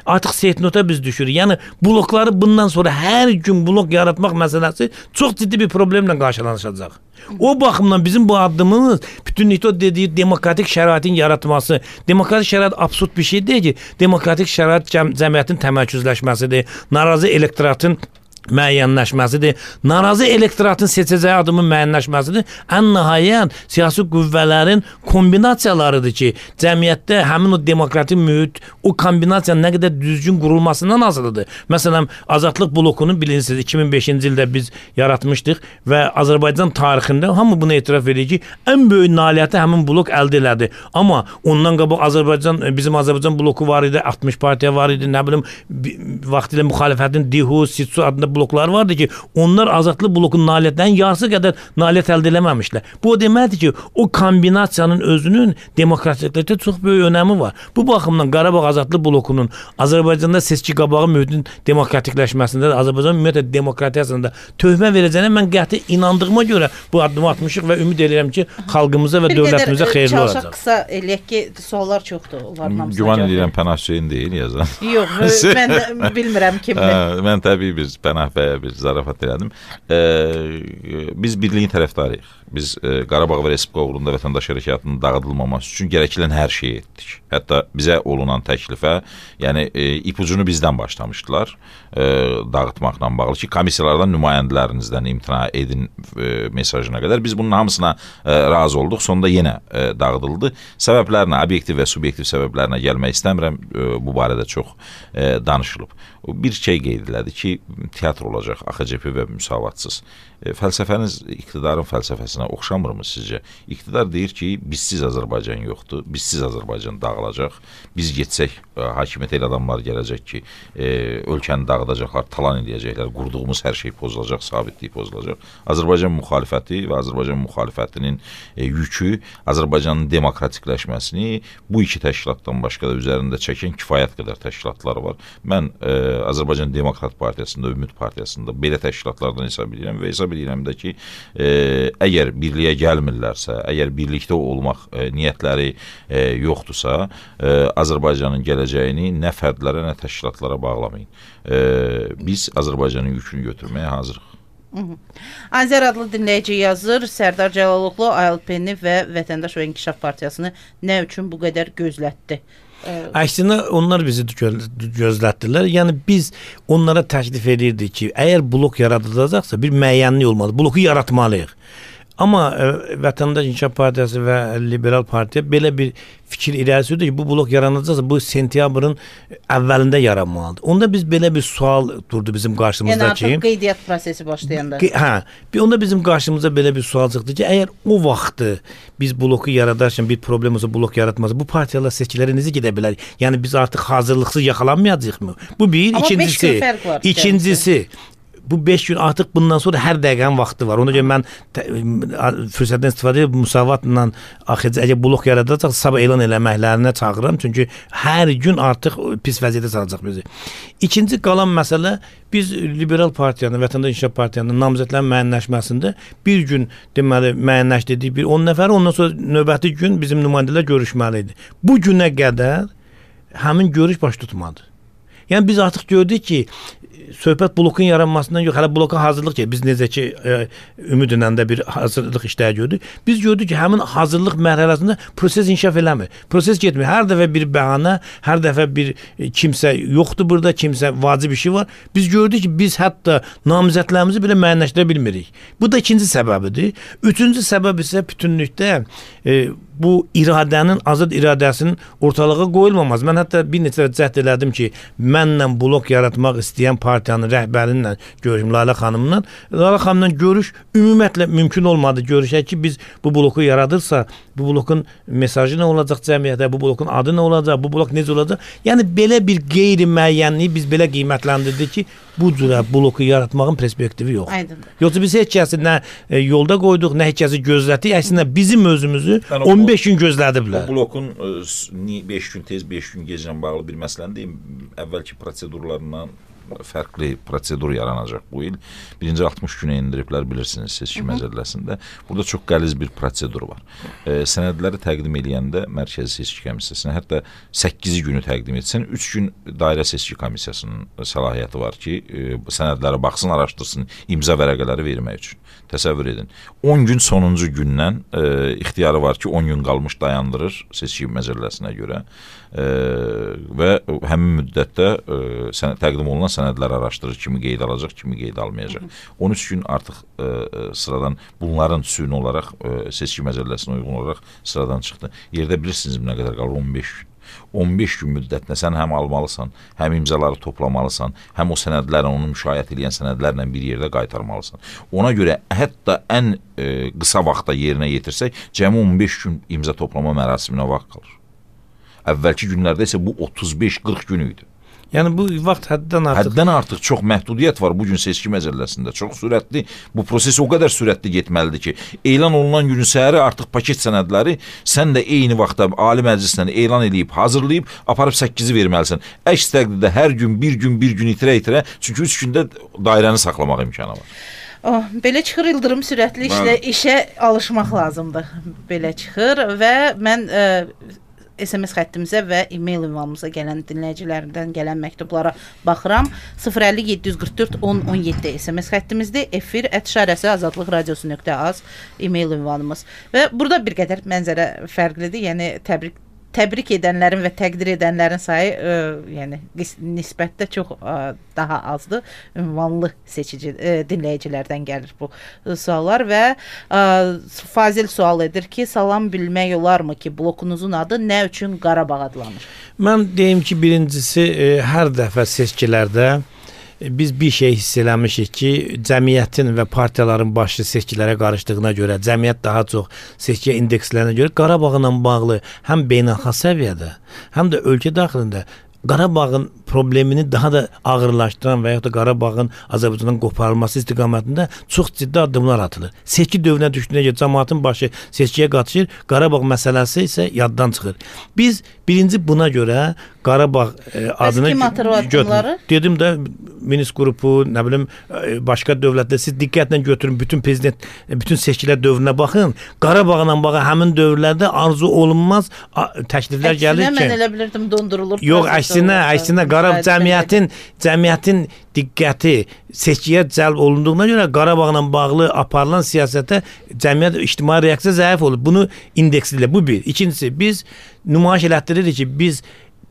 artıq setnota biz düşürük. Yəni blokları bundan sonra hər gün blok yaratmaq məsələsi çox ciddi bir problemlə qarşılaşacaq. O baxımdan bizim bu addımımız bütünlükdə o dediyi demokratik şəraitin yaratması. Demokratik şərait absurd bir şey deyil ki, demokratik şərait cəmiyyətin təmərküzləşməsidir. Narazı elektoratın müəyyənləşməsidir. Narazı elektoratın seçəcəyi adımın müəyyənləşməsidir. Ən nəhayət siyasi qüvvələrin kombinasiyalarıdır ki, cəmiyyətdə həmin o demokratik mühit, o kombinasiyanın nə qədər düzgün qurulmasından asılıdır. Məsələn, Azadlıq blokunu bilirsiniz, 2005-ci ildə biz yaratmışdıq və Azərbaycan tarixində hamı bunu etiraf edir ki, ən böyük nailiyyəti həmin blok əldə elədi. Amma ondan qabaq bizim Azərbaycan bloku var idi, 60 partiya var idi, nə bilim, vaxtilə müxalifətin DİHU, SİTSU adında bloklar vardı ki, onlar Azadlıq blokunun nailiyyətlərin yarısı qədər nailiyyət əldə eləməmişlər. Bu o deməkdir ki, o kombinasiyanın özünün demokratiklikdə çox böyük önəmi var. Bu baxımdan Qarabağ Azadlıq blokunun Azərbaycanda seçki qabağı mühitin demokratikləşməsində, Azərbaycan ümumiyyətlə demokratiyasında töhmə verəcəyinə mən qəti inandığıma görə bu addımı atmışıq və ümid edirəm ki, xalqımıza və dövlətimizə xeyirli olacaq. Qısa eləyək ki, suallar çoxdur. Güman edirəm Pənah Hüseyn deyil yazan. Yox, mən bilmirəm kimdir. Mən təbii biz Pənah bəyə bir zarafat elədim. Biz birliyin tərəfdarıyıq. Biz Qarabağ və Respublika uğrunda vətəndaş hərəkatının dağıdılmaması üçün gərəkilən hər şeyi etdik. Hətta bizə olunan təklifə, yəni ipucunu bizdən başlamışdılar dağıtmaqla bağlı ki, komissiyalardan nümayəndələrinizdən imtina edin mesajına qədər. Biz bunun hamısına razı olduq. Sonunda yenə dağıdıldı. Səbəblərinə, obyektiv və subyektiv səbəblərinə gəlmək istəmirəm. Bu barədə çox danışılıb. Bir şey qeyd elədi ki, teatr olacaq, AXCP və müsavatsız. Fəlsəfəniz iqtidarın fəlsəfəsinə oxşamırmı sizcə? İqtidar deyir ki, bizsiz Azərbaycan yoxdur, bizsiz Azərbaycan dağılacaq. Biz getsək, hakimiyyət elə adamlar gələcək ki, ölkəni dağıdacaqlar, talan edəcəklər, qurduğumuz hər şey pozulacaq, sabitlik pozulacaq. Azərbaycan müxalifəti və Azərbaycan müxalifətinin yükü Azərbaycanın demokratikləşməsini bu iki təşkilatdan başqa da üzərində çəkən kifayət qədər təşkilatlar var. Mən Azərbaycan Demokrat Partiyasında, Ümid Partiyasında belə təşkilatlardan hesab edirəm və hesab edirəm də ki, əgər birliyə gəlmirlərsə, əgər birlikdə olmaq niyyətləri yoxdursa, Azərbaycanın gələcəyini nə fərdlərə, nə təşkilatlara bağlamayın. Biz Azərbaycanın yükünü götürməyə hazırıq. Azər adlı dinləyici yazır, Sərdar Cəlaloğlu ALP-ni və Vətəndaş və İnkişaf Partiyasını nə üçün bu qədər gözlətdi? Əksinə onlar bizi gözlətdilər. Yəni biz onlara təklif edirdik ki, əgər blok yaradılacaqsa bir müəyyənlik olmalı. Bloku yaratmalıyıq. Amma Vətəndaş İnkişaf Partiyası və Liberal Partiya belə bir fikir irəli sürdü ki, bu blok yaranacaqsa bu sentyabrın əvvəlində yaranmalıdır. Onda biz belə bir sual durdu bizim qarşımızda ki, yəni artıq qeydiyyat prosesi başlayanda. Onda bizim qarşımıza belə bir sual çıxdı ki, əgər o vaxtı biz bloku yaradarkən bir problem olsa, blok yaratmazsa, bu partiyalar seçkilərə necə gedə bilər? Yəni biz artıq hazırlıqsız yaxalanmayacağıq mı? Bu bir, ikincisi bu 5 gün artıq bundan sonra hər dəqiqənin vaxtı var. Ona görə mən fürsətdən istifadə edib müsavatla əgər blok yaradacaq, sabah elan eləməklərinə çağırıram. Çünki hər gün artıq pis vəziyyətə salacaq bizi. İkinci qalan məsələ, biz Liberal Partiyanın, Vətəndaş İnkişaf Partiyanın namizədlərin müəyyənləşməsində bir gün deməli müəyyənləşdirdik, bir 10 nəfər, ondan sonra növbəti gün bizim nümayəndələr görüşməli idi. Bu günə qədər həmin görüş baş tutmadı. Yəni biz artıq gördük ki, söhbət blokun yaranmasından yox, hələ bloka hazırlıq ki, biz necə ki ümidlə də bir hazırlıq işləri gördük. Biz gördük ki, həmin hazırlıq mərhələsində proses inkişaf eləmir. Proses getmir. Hər dəfə bir bəhanə, hər dəfə bir kimsə yoxdur burada, kimsə vacib işi var. Biz gördük ki, biz hətta namizədlərimizi belə müəyyənləşdirə bilmirik. Bu da ikinci səbəbidir. Üçüncü səbəb isə bütünlükdə bu iradənin, azad iradəsinin ortalığa qoyulmaması. Mən hətta bir neçə cəhd elədim ki, mənlə blok yaratmaq istəyən partiyanın rəhbərinlə görüşüm, Lalə xanımla. Lalə xanımla görüş ümumiyyətlə mümkün olmadı. Görüşək ki, biz bu bloku yaradırsa, bu blokun mesajı nə olacaq cəmiyyətə, bu blokun adı nə olacaq, bu blok necə olacaq? Yəni belə bir qeyri-müəyyənliyi biz belə qiymətləndirdik ki, bu cürə bloku yaratmağın perspektivi yox. Yoxsa biz heç kəsi nə yolda qoyduq, nə heç kəsi gözlətdik. Əslində bizim özümüzü 15 gün gözlədiblər. Bu blokun 5 gün tez, 5 gün geclə bağlı bir məsələni deyim. Əvvəlki prosedurlarından fərqli prosedur yaranacaq bu il. Birinci 60 günə indiriblər, bilirsiniz, seçki məcəlləsində. Burada çox qəliz bir prosedur var. Sənədləri təqdim edəndə Mərkəzi Seçki Komissiyasına hətta 8 günü təqdim etsən, 3 gün Dairə Seçki Komissiyasının səlahiyyəti var ki, sənədlərə baxsın, araşdırsın, imza vərəqələri vermək üçün. Təsəvvür edin. 10 gün sonuncu gündən ixtiyarı var ki, 10 gün qalmış dayandırır seçki məcəlləsinə görə və həmin müddətdə təqdim olunan sənədlər araşdırır, kimi qeyd alacaq, kimi qeyd almayacaq. 13 gün artıq sıradan bunların süni olaraq seçki məcəlləsinə uyğun olaraq sıradan çıxdı. Yerdə bilirsiniz nə qədər qalır? 15 gün. 15 gün müddətində sən həm almalısan, həm imzaları toplamalısan, həm o sənədlərlə, onu müşayiət edən sənədlərlə bir yerdə qaytarmalısan. Ona görə hətta ən qısa vaxtda yerinə yetirsək, cəmi 15 gün imza toplama mərasiminə vaxt qalır. Əvvəlki günlərdə isə bu 35-40 gün idi. Yəni bu vaxt həddən artıq çox məhdudiyyət var bu gün seçki məcəlləsində. Çox sürətli, bu proses o qədər sürətli getməlidir ki, elan olunan günün səhəri artıq paket sənədləri sən də eyni vaxtda Ali Məclislə elan edib, hazırlayıb, aparıb 8-i verməlisən. Əks təqdirdə hər gün, bir gün itirə-itirə, çünki 3 gündə dairəni saxlamaq imkanı var. Belə çıxır, ildırım sürətli işə alışmaq lazımdır. Belə çıxır və mən SMS xəttimizə və e-mail ünvanımıza gələn dinləyicilərindən gələn məktublara baxıram. 050 744 1017 SMS xəttimizdir. efir@azadlıqradiosu.az e-mail ünvanımız. Və burada bir qədər mənzərə fərqlidir. Yəni təbrik edənlərin və təqdir edənlərin sayı yəni nisbətdə çox daha azdır. Ünvanlı dinləyicilərdən gəlir bu suallar və Fazil sual edir ki, salam bilmək olarmı ki, blokunuzun adı nə üçün Qarabağ adlanır? Mən deyim ki, birincisi hər dəfə seçkilərdə biz bir şey hiss eləmişik ki, cəmiyyətin və partiyaların başı seçkilərə qarışdığına görə, cəmiyyət daha çox seçkiyə indekslənə görə Qarabağla bağlı həm beynəlxalq səviyyədə, həm də ölkə daxilində Qarabağın problemini daha da ağırlaşdıran və yaxud da Qarabağın Azərbaycandan qoparılması istiqamətində çox ciddi addımlar atılır. Seçki dövrünə düşdüyünə görə cəmiyyətin başı seçkiyə qatışır, Qarabağ məsələsi isə yaddan çıxır. Biz birinci buna görə Qarabağ adını dedim də Minsk qrupu, nə bilim başqa dövlətlər siz diqqətlə götürün, bütün seçkilər dövrünə baxın. Qarabağla bağlı həmin dövrlərdə arzu olunmaz təkliflər gəlir ki. Mən elə bilirdim dondurulur. Yox, əksinə Qarabağ cəmiyyətin diqqəti seçkiyə cəlb olunduğuna görə Qarabağla bağlı aparılan siyasətə cəmiyyət ictimai reaksiya zəif olur. Bunu indekslə bu bir. İkincisi biz nümayiş elətdiririk ki, biz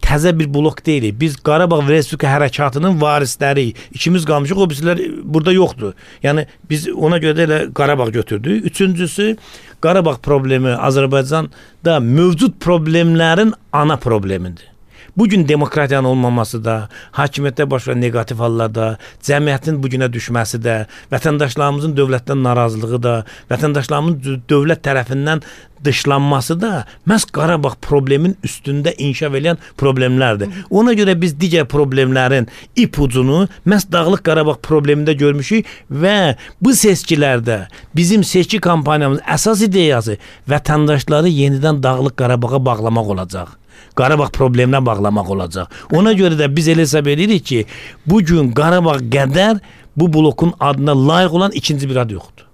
təzə bir blok deyilik. Biz Qarabağ Respublika hərəkatının varisləriyik. İkimiz qalmışıq, o bizlər burada yoxdur. Yəni biz ona görə də elə Qarabağ götürdük. Üçüncüsü, Qarabağ problemi Azərbaycanda mövcud problemlərin ana problemidir. Bugün demokratiyanın olmaması da, hakimiyyətdə baş verən negativ hallarda, cəmiyyətin bugünə düşməsi də, vətəndaşlarımızın dövlətdən narazılığı da, vətəndaşlarımızın dövlət tərəfindən dışlanması da məhz Qarabağ problemin üstündə inkişaf edən problemlərdir. Ona görə biz digər problemlərin ipucunu məhz Dağlıq Qarabağ problemində görmüşük və bu seçkilərdə bizim seçki kampaniyamızın əsas ideyası vətəndaşları yenidən Dağlıq Qarabağa bağlamaq olacaq. Qarabağ probleminə bağlamaq olacaq. Ona görə də biz elə hesab edirik ki, bugün Qarabağ qədər bu blokun adına layiq olan ikinci bir ad yoxdur.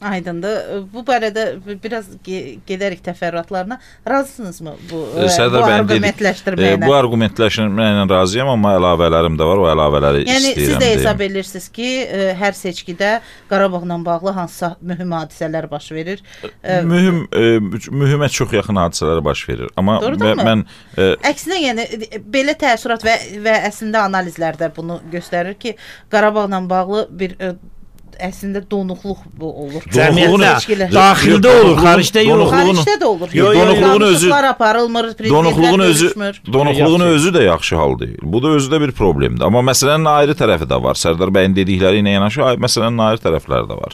Aydındır. Bu barədə biraz gedərik təfərrüatlarına. Razısınızmı bu arqumentləşdirməyinə? Bu arqumentləşdirməyinə razıyam, amma əlavələrim də var. O əlavələri istəyirəm. Yəni siz də hesab edirsiniz ki, hər seçkidə Qarabağla bağlı hansısa mühüm hadisələr baş verir? Mühümə çox yaxın hadisələr baş verir. Amma mən əksinə, yəni belə təəssürat və əslində analizlərdə bunu göstərir ki, Qarabağla bağlı bir əslində donuqluq bu olur. Cəmiyyətdə, daxildə olur, xaricdə yox. Xaricdə də olur. Donuqluğun özü də yaxşı hal deyil. Bu da özü də bir problemdir. Amma məsələnin ayrı tərəfi də var. Sərdar bəyin dedikləri ilə yanaşı məsələnin ayrı tərəfləri də var.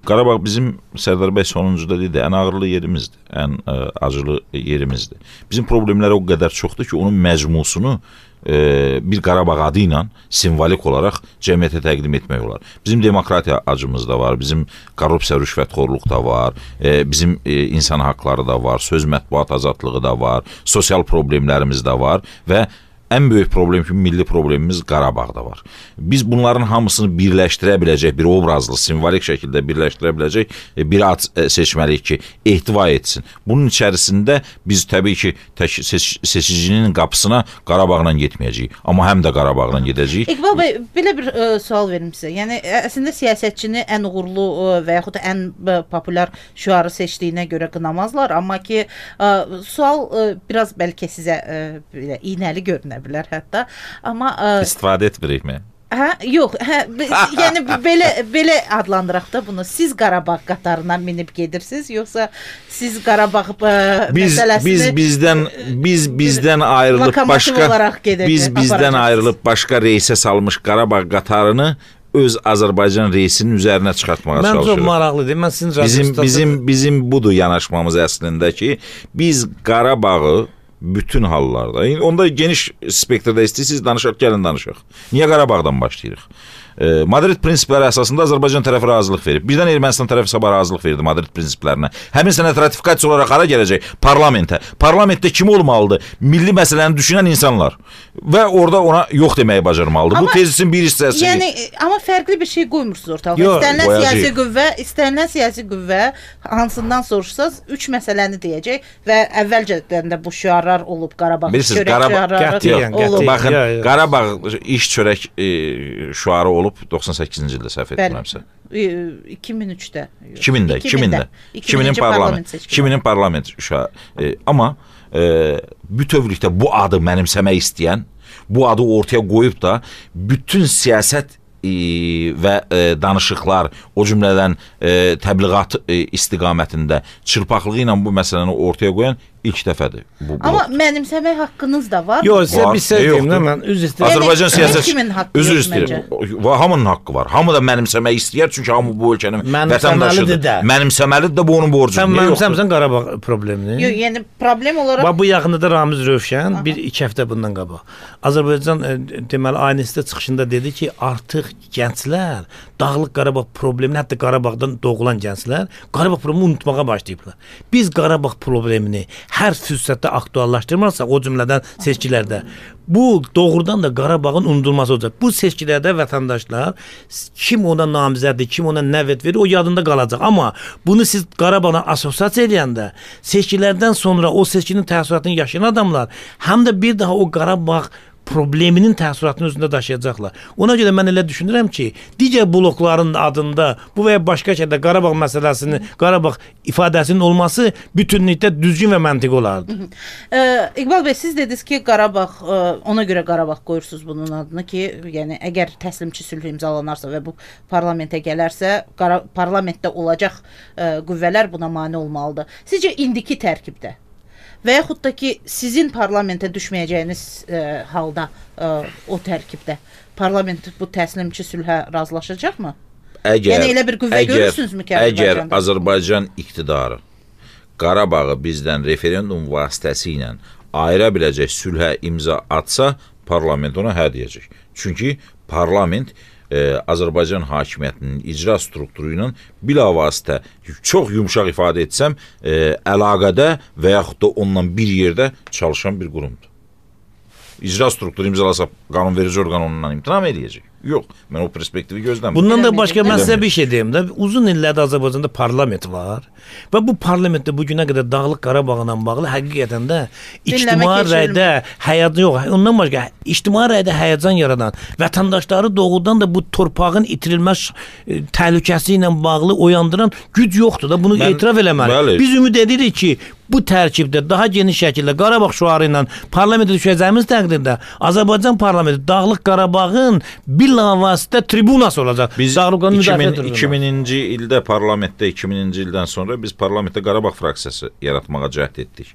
Qarabağ bizim Sərdar bəy sonuncuda dedi, ən ağırlı yerimizdir, ən acılı yerimizdir. Bizim problemlər o qədər çoxdur ki, onun məcmusunu bir Qarabağ adı ilə simvolik olaraq cəmiyyətə təqdim etmək olar. Bizim demokratiya acımız da var, bizim korrupsiya, rüşvətxorluq da var, bizim insan haqları da var, söz mətbuat azadlığı da var, sosial problemlərimiz də var və ən böyük problem ki, milli problemimiz Qarabağda var. Biz bunların hamısını birləşdirə biləcək, bir obrazlı, simvolik şəkildə birləşdirə biləcək bir ad seçməliyik ki, ehtiva etsin. Bunun içərisində biz təbii ki, seçicinin qapısına Qarabağla getməyəcəyik, amma həm də Qarabağla gedəcəyik. İqbal bəy, belə bir sual verim sizə. Yəni, əslində siyasətçini ən uğurlu və yaxud ən populyar şüarı seçdiyinə görə qınamazlar, amma ki, sual biraz bəlkə sizə iynəli görünə bilər hətta, amma istifadə etmirik mi? Yox, yəni belə adlandıraq da bunu. Siz Qarabağ qatarına minib gedirsiniz, yoxsa siz Qarabağ məsələsini bizdən ayrılıb başqa reysə salmış Qarabağ qatarını öz Azərbaycan reysinin üzərinə çıxartmağa çalışırıq. Mən çox maraqlıdır. Mən sizin bizim budur yanaşmamız əslində ki, biz Qarabağı bütün hallarda, onda geniş spektrdə istəyirsiniz, danışaq, gəlin danışaq. Niyə Qarabağdan başlayırıq? Madrid prinsipləri əsasında Azərbaycan tərəfi razılıq verib. Birdən Ermənistan tərəfi sabah razılıq verdi Madrid prinsiplərinə. Həmin sənəd ratifikasiya olaraq hara gələcək? Parlamentə. Parlamentdə kim olmalıdır? Milli məsələni düşünən insanlar. Və orada ona yox deməyi bacarmalıdır. Bu tezisin bir hissəsi. Yəni, amma fərqli bir şey qoymursunuz ortalığa. İstənilən siyasi qüvvə hansından soruşsaz, 3 məsələni deyəcək və əvvəlcədən də bu şüarlar olub, Qarabağ çörək şüarları olub. Baxın, Qarabağ iş çörək şüarı olub 98-ci ildə səhv etmirəmsə. 2003-də. 2000-in parlament şüarı. Amma bütövlükdə bu adı mənimsəmək istəyən, bu adı ortaya qoyub da bütün siyasət və danışıqlar, o cümlədən təbliğat istiqamətində çırpaqlığı ilə bu məsələni ortaya qoyan İlk dəfədir bu blok. Amma mənimsəmək haqqınız da var. Yox, sizə Var, bir söz deyim də yoxdur. mən üzr istəyirəm. Azərbaycan siyasət kimin haqqı üzr yox istəyirəm. Hamının haqqı var. Hamı da mənimsəmək istəyər çünki hamı bu ölkənin Mənimsəməlidir vətəndaşıdır. də. Mənimsəməlidir də bu onun borcudur. Sən Niyə yoxdur? mənimsəmsən Qarabağ problemini. Yox, yəni problem olaraq Bax bu yaxında da Ramiz Rövşən 1-2 həftə bundan qabaq Azərbaycan deməli aynesində çıxışında dedi ki, artıq gənclər Dağlıq Qarabağ problemini, hətta Qarabağdan doğulan gənclər Qarabağ problemini unutmağa başlayıblar. Biz Qarabağ problemini hər fürsətdə aktuallaşdırmarsaq, o cümlədən seçkilərdə, bu doğrudan da Qarabağın unudulması olacaq. Bu seçkilərdə vətəndaşlar kim ona namizəddir, kim ona nəvət verir, o yadında qalacaq. Amma bunu siz Qarabağla assosiasiya edəndə, seçkilərdən sonra o seçkinin təəssüratını yaşayan adamlar həm də bir daha o Qarabağ probleminin təəssüratını özündə daşıyacaqlar. Ona görə mən elə düşünürəm ki, digər blokların adında bu və ya başqa şəkildə Qarabağ məsələsinin, Qarabağ ifadəsinin olması bütünlükdə düzgün və məntiqi olardı. İqbal bəy, siz dediniz ki, Qarabağ, ona görə Qarabağ qoyursunuz bunun adını ki, yəni əgər təslimçi sülh imzalanarsa və bu parlamentə gələrsə, parlamentdə olacaq qüvvələr buna mane olmalıdır. Sizcə indiki tərkibdə və yaxud da ki, sizin parlamentə düşməyəcəyiniz halda o tərkibdə parlament bu təslimçi sülhə razılaşacaqmı? Yəni elə bir qüvvə görürsünüzmü ki, əgər Azərbaycan iqtidarı Qarabağı bizdən referendum vasitəsilə ayıra biləcək sülhə imza atsa, parlament ona hə deyəcək. Çünki parlament Azərbaycan hakimiyyətinin icra strukturu ilə bilavasitə çox yumşaq ifadə etsəm, əlaqədə və yaxud da ondan bir yerdə çalışan bir qurumdur. İcra strukturu imzalasa qanunverici orqan ondan imtina edəcək. Yox, mən o perspektivi gözləmirəm. Bundan da başqa mən sizə bir şey deyim də, uzun illərdə Azərbaycanda parlament var və bu parlamentdə bu günə qədər Dağlıq Qarabağla bağlı həqiqətən də ictimai rəydə həyat yox, ondan başqa ictimai rəydə həyəcan yaradan, vətəndaşları doğrudan da bu torpağın itirilməz təhlükəsi ilə bağlı oyandıran güc yoxdur da, bunu etiraf eləməliyik. Biz ümid edirik ki, bu tərkibdə daha geniş şəkildə Qarabağ şüarı ilə parlamentə düşəcəyimiz təqdirdə Azərbaycan parlamenti Dağlıq Qarabağın bilavasitə tribunası olacaq. Biz 2000-ci ildə parlamentdə 2000-ci ildən sonra biz parlamentdə Qarabağ fraksiyası yaratmağa cəhd etdik.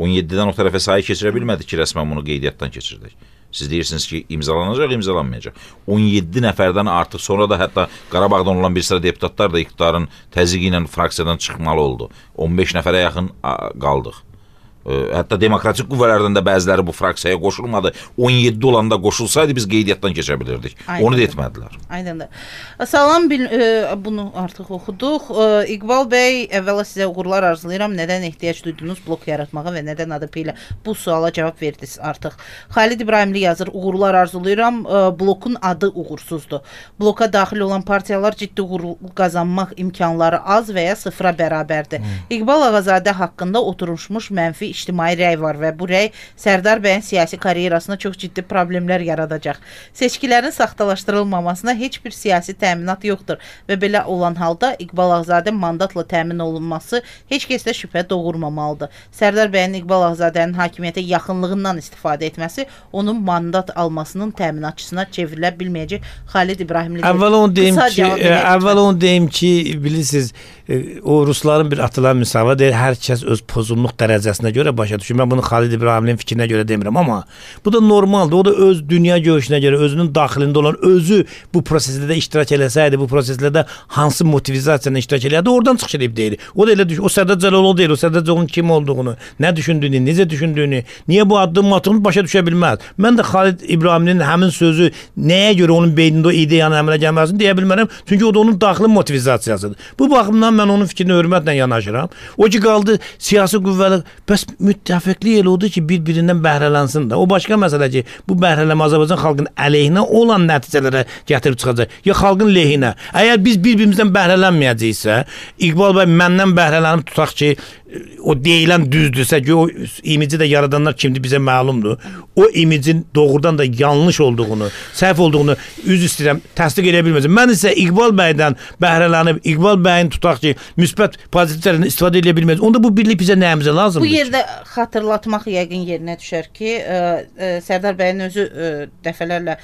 17-dən o tərəfə sayı keçirə bilmədik ki, rəsmən bunu qeydiyyatdan keçirdik. Siz deyirsiniz ki, imzalanacaq, imzalanmayacaq. 17 nəfərdən artıq sonra da hətta Qarabağdan olan bir sıra deputatlar da iqtidarın təzyiqi ilə fraksiyadan çıxmalı oldu. 15 nəfərə yaxın qaldıq. Hətta demokratik qüvvələrdən də bəziləri bu fraksiyaya qoşulmadı. 17 olanda qoşulsaydı biz qeydiyyatdan keçə bilirdik. Onu da etmədilər. Aydındır. Salam, bunu artıq oxuduq. İqbal bəy, əvvəla sizə uğurlar arzulayıram. Nədən ehtiyac duydunuz blok yaratmağa və nədən ADP ilə bu suala cavab verdiniz artıq. Xalid İbrahimli yazır, uğurlar arzulayıram. Blokun adı uğursuzdur. Bloka daxil olan partiyalar ciddi uğur qazanmaq imkanları az və ya sıfıra bərabərdir. İqbal Ağazadə haqqında oturmuş mənfi ictimai rəy var və bu rəy Sərdar bəyin siyasi karyerasına çox ciddi problemlər yaradacaq. Seçkilərin saxtalaşdırılmamasına heç bir siyasi təminat yoxdur və belə olan halda İqbal Ağazadə mandatla təmin olunması heç kəsdə şübhə doğurmamalıdır. Sərdar bəyin İqbal Ağazadənin hakimiyyətə yaxınlığından istifadə etməsi onun mandat almasının təminatçısına çevrilə bilməyəcək. Xalid İbrahimli əvvəl onu deyim ki, bilirsiniz, o Rusların bir atılan müsahibəsi deyir, hər kəs öz pozulluq dərəcəsinə görə başa düşür. Mən bunu Xalid İbrahimlinin fikrinə görə demirəm, amma bu da normaldır. O da öz dünya görüşünə görə, özünün daxilində olan özü bu prosesdə iştirak eləsəydi, bu proseslərdə hansı motivizasiyanla iştirak eləyərdi, oradan çıxış edib deyir. O da elə düşün. O Sərdar Cəlaloğlu deyil, o Sərdar Cəlaloğlu'nun kim olduğunu, nə düşündüyünü, necə düşündüyünü, niyə bu addım atılıb başa düşə bilməz. Mən də Xalid İbrahimlinin həmin sözü nəyə görə onun beynində o ideyanın əmələ gəlməsini deyə bilmərəm. Çünki o da onun daxili motivizasiyasıdır. Bu baxımdan mən onun fikrinə hörmətlə yanaşıram. O ki qaldı siyasi qüvvələr, bəs müttəfiqlik elə oldu ki, bir-birindən bəhrələnsin də. O başqa məsələ ki, bu bəhrələmə Azərbaycan xalqının əleyhinə olan nəticələrə gətirib çıxacaq. Ya xalqın lehinə. Əgər biz bir-birimizdən bəhrələnməyəcəksə, İqbal bəy məndən bəhrələnib tutaq ki, o deyilən düzdürsə ki, o imici də yaradanlar kimdir bizə məlumdur. O imicin doğrudan da yanlış olduğunu, səhv olduğunu üzr istəyirəm, təsdiq edə bilməzəm. Mən isə İqbal bəydən bəhrələnib, İqbal bəyin tutaq ki, müsbət pozitivlərindən istifadə edə bilməz. Onda bu birlik bizə nəyimizə lazımdır? Bu yerdə xatırlatmaq yəqin yerinə düşər ki, Sərdar bəyin özü dəfələrlə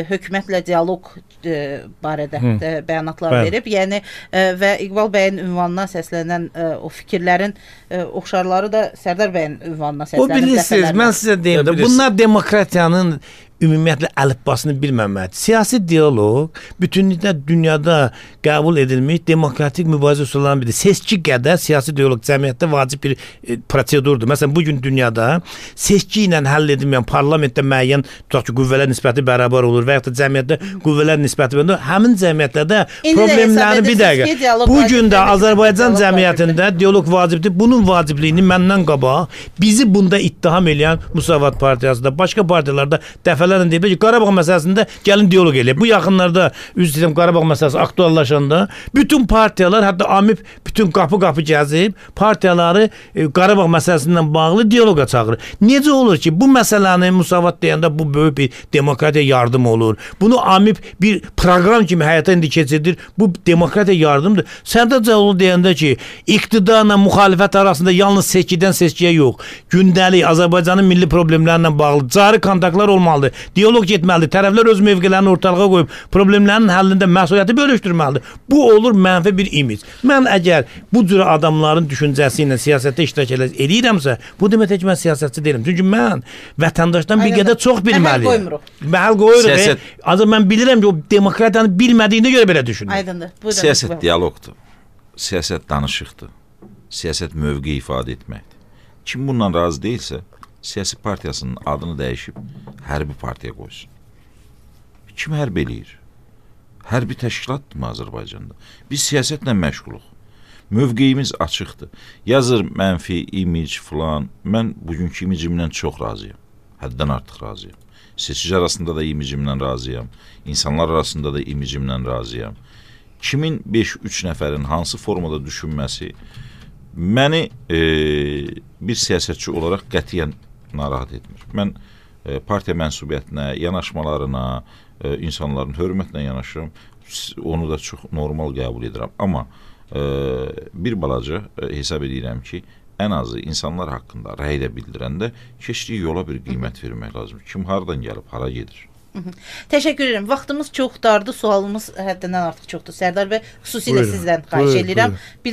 hökumətlə dialoq barədə bəyanatlar verib. Yəni və İqbal bəyin ünvanına səslənən o fikirlərin oxşarları da Sərdar bəyin ünvanına səslənib. O bilirsiniz, mən sizə deyim də, bunlar demokratiyanın ümumiyyətlə əlifbasını bilməməlidir. Siyasi dialoq bütünlüklə dünyada qəbul edilmiş demokratik mübarizə üsullarından biridir. Seçki qədər siyasi dialoq cəmiyyətdə vacib bir prosedurdur. Məsələn, bugün dünyada seçki ilə həll edilməyən parlamentdə müəyyən tutaq ki, qüvvələr nisbəti bərabər olur və ya da cəmiyyətdə qüvvələr nisbəti bərabər olur. Həmin cəmiyyətlərdə problemləri bir dəqiqə. Bugün də Azərbaycan cəmiyyətində dialoq vacibdir. Bunun vacibliyini məndən qabaq bizi bunda ittiham edən Müsavat partiyası da, başqa partiyalarda dəfələrlə deyib ki, Qarabağ məsələsində gəlin dialoq eləyək. Bu yaxınlarda üzr istəyirəm, Qarabağ məsələsi aktuallaşanda bütün partiyalar, hətta AMİP bütün qapı-qapı gəzib partiyaları Qarabağ məsələsindən bağlı dialoqa çağırır. Necə olur ki, bu məsələni Müsavat deyəndə bu böyük bir demokratiya yardım olur. Bunu AMİP bir proqram kimi həyata indi keçirdir. Bu demokratiya yardımdır. Sərdar Cəlaloğlu deyəndə ki, iqtidarla müxalifət arasında yalnız seçkidən seçkiyə yox, gündəlik Azərbaycanın milli problemlərlə bağlı cari kontaktlar olmalıdır. Dialoq getməlidir. Tərəflər öz mövqelərini ortalığa qoyub problemlərin həllində məsuliyyəti bölüşdürməlidir. Bu olur mənfi bir imic. Mən əgər bu cür adamların düşüncəsi ilə siyasətdə iştirak edirəmsə, bu demək ki, mən siyasətçi deyiləm. Çünki mən vətəndaşdan bir qədər çox bilməliyəm. Məhəl qoyuruq. Azı mən bilirəm ki, o demokratiyanı bilmədiyinə görə belə düşünür. Aydındır. Siyasət dialoqdur. Siyasət danışıqdır. Siyasət mövqe ifadə etməkdir. Kim bundan razı deyilsə, siyasi partiyasının adını dəyişib hərbi partiya qoysun. Kim hərb eləyir? Hərbi təşkilatdırmı Azərbaycanda? Biz siyasətlə məşğuluq. Mövqeyimiz açıqdır. Yazır mənfi, imic filan. Mən bugünkü imicimdən çox razıyam. Həddən artıq razıyam. Seçici arasında da imicimdən razıyam. İnsanlar arasında da imicimdən razıyam. Kimin 5-3 nəfərin hansı formada düşünməsi məni bir siyasətçi olaraq qətiyyən narahat etmir. Mən partiya mənsubiyyətinə, yanaşmalarına, insanların hörmətlə yanaşıram. Onu da çox normal qəbul edirəm. Amma bir balaca hesab edirəm ki, ən azı insanlar haqqında rəy də bildirəndə keçdiyi yola bir qiymət vermək lazım. Kim hardan gəlib, hara gedir? Təşəkkür edirəm. Vaxtımız çox dardı, sualımız həddindən artıq çoxdur. Sərdar bəy, xüsusilə sizdən xahiş edirəm. Bir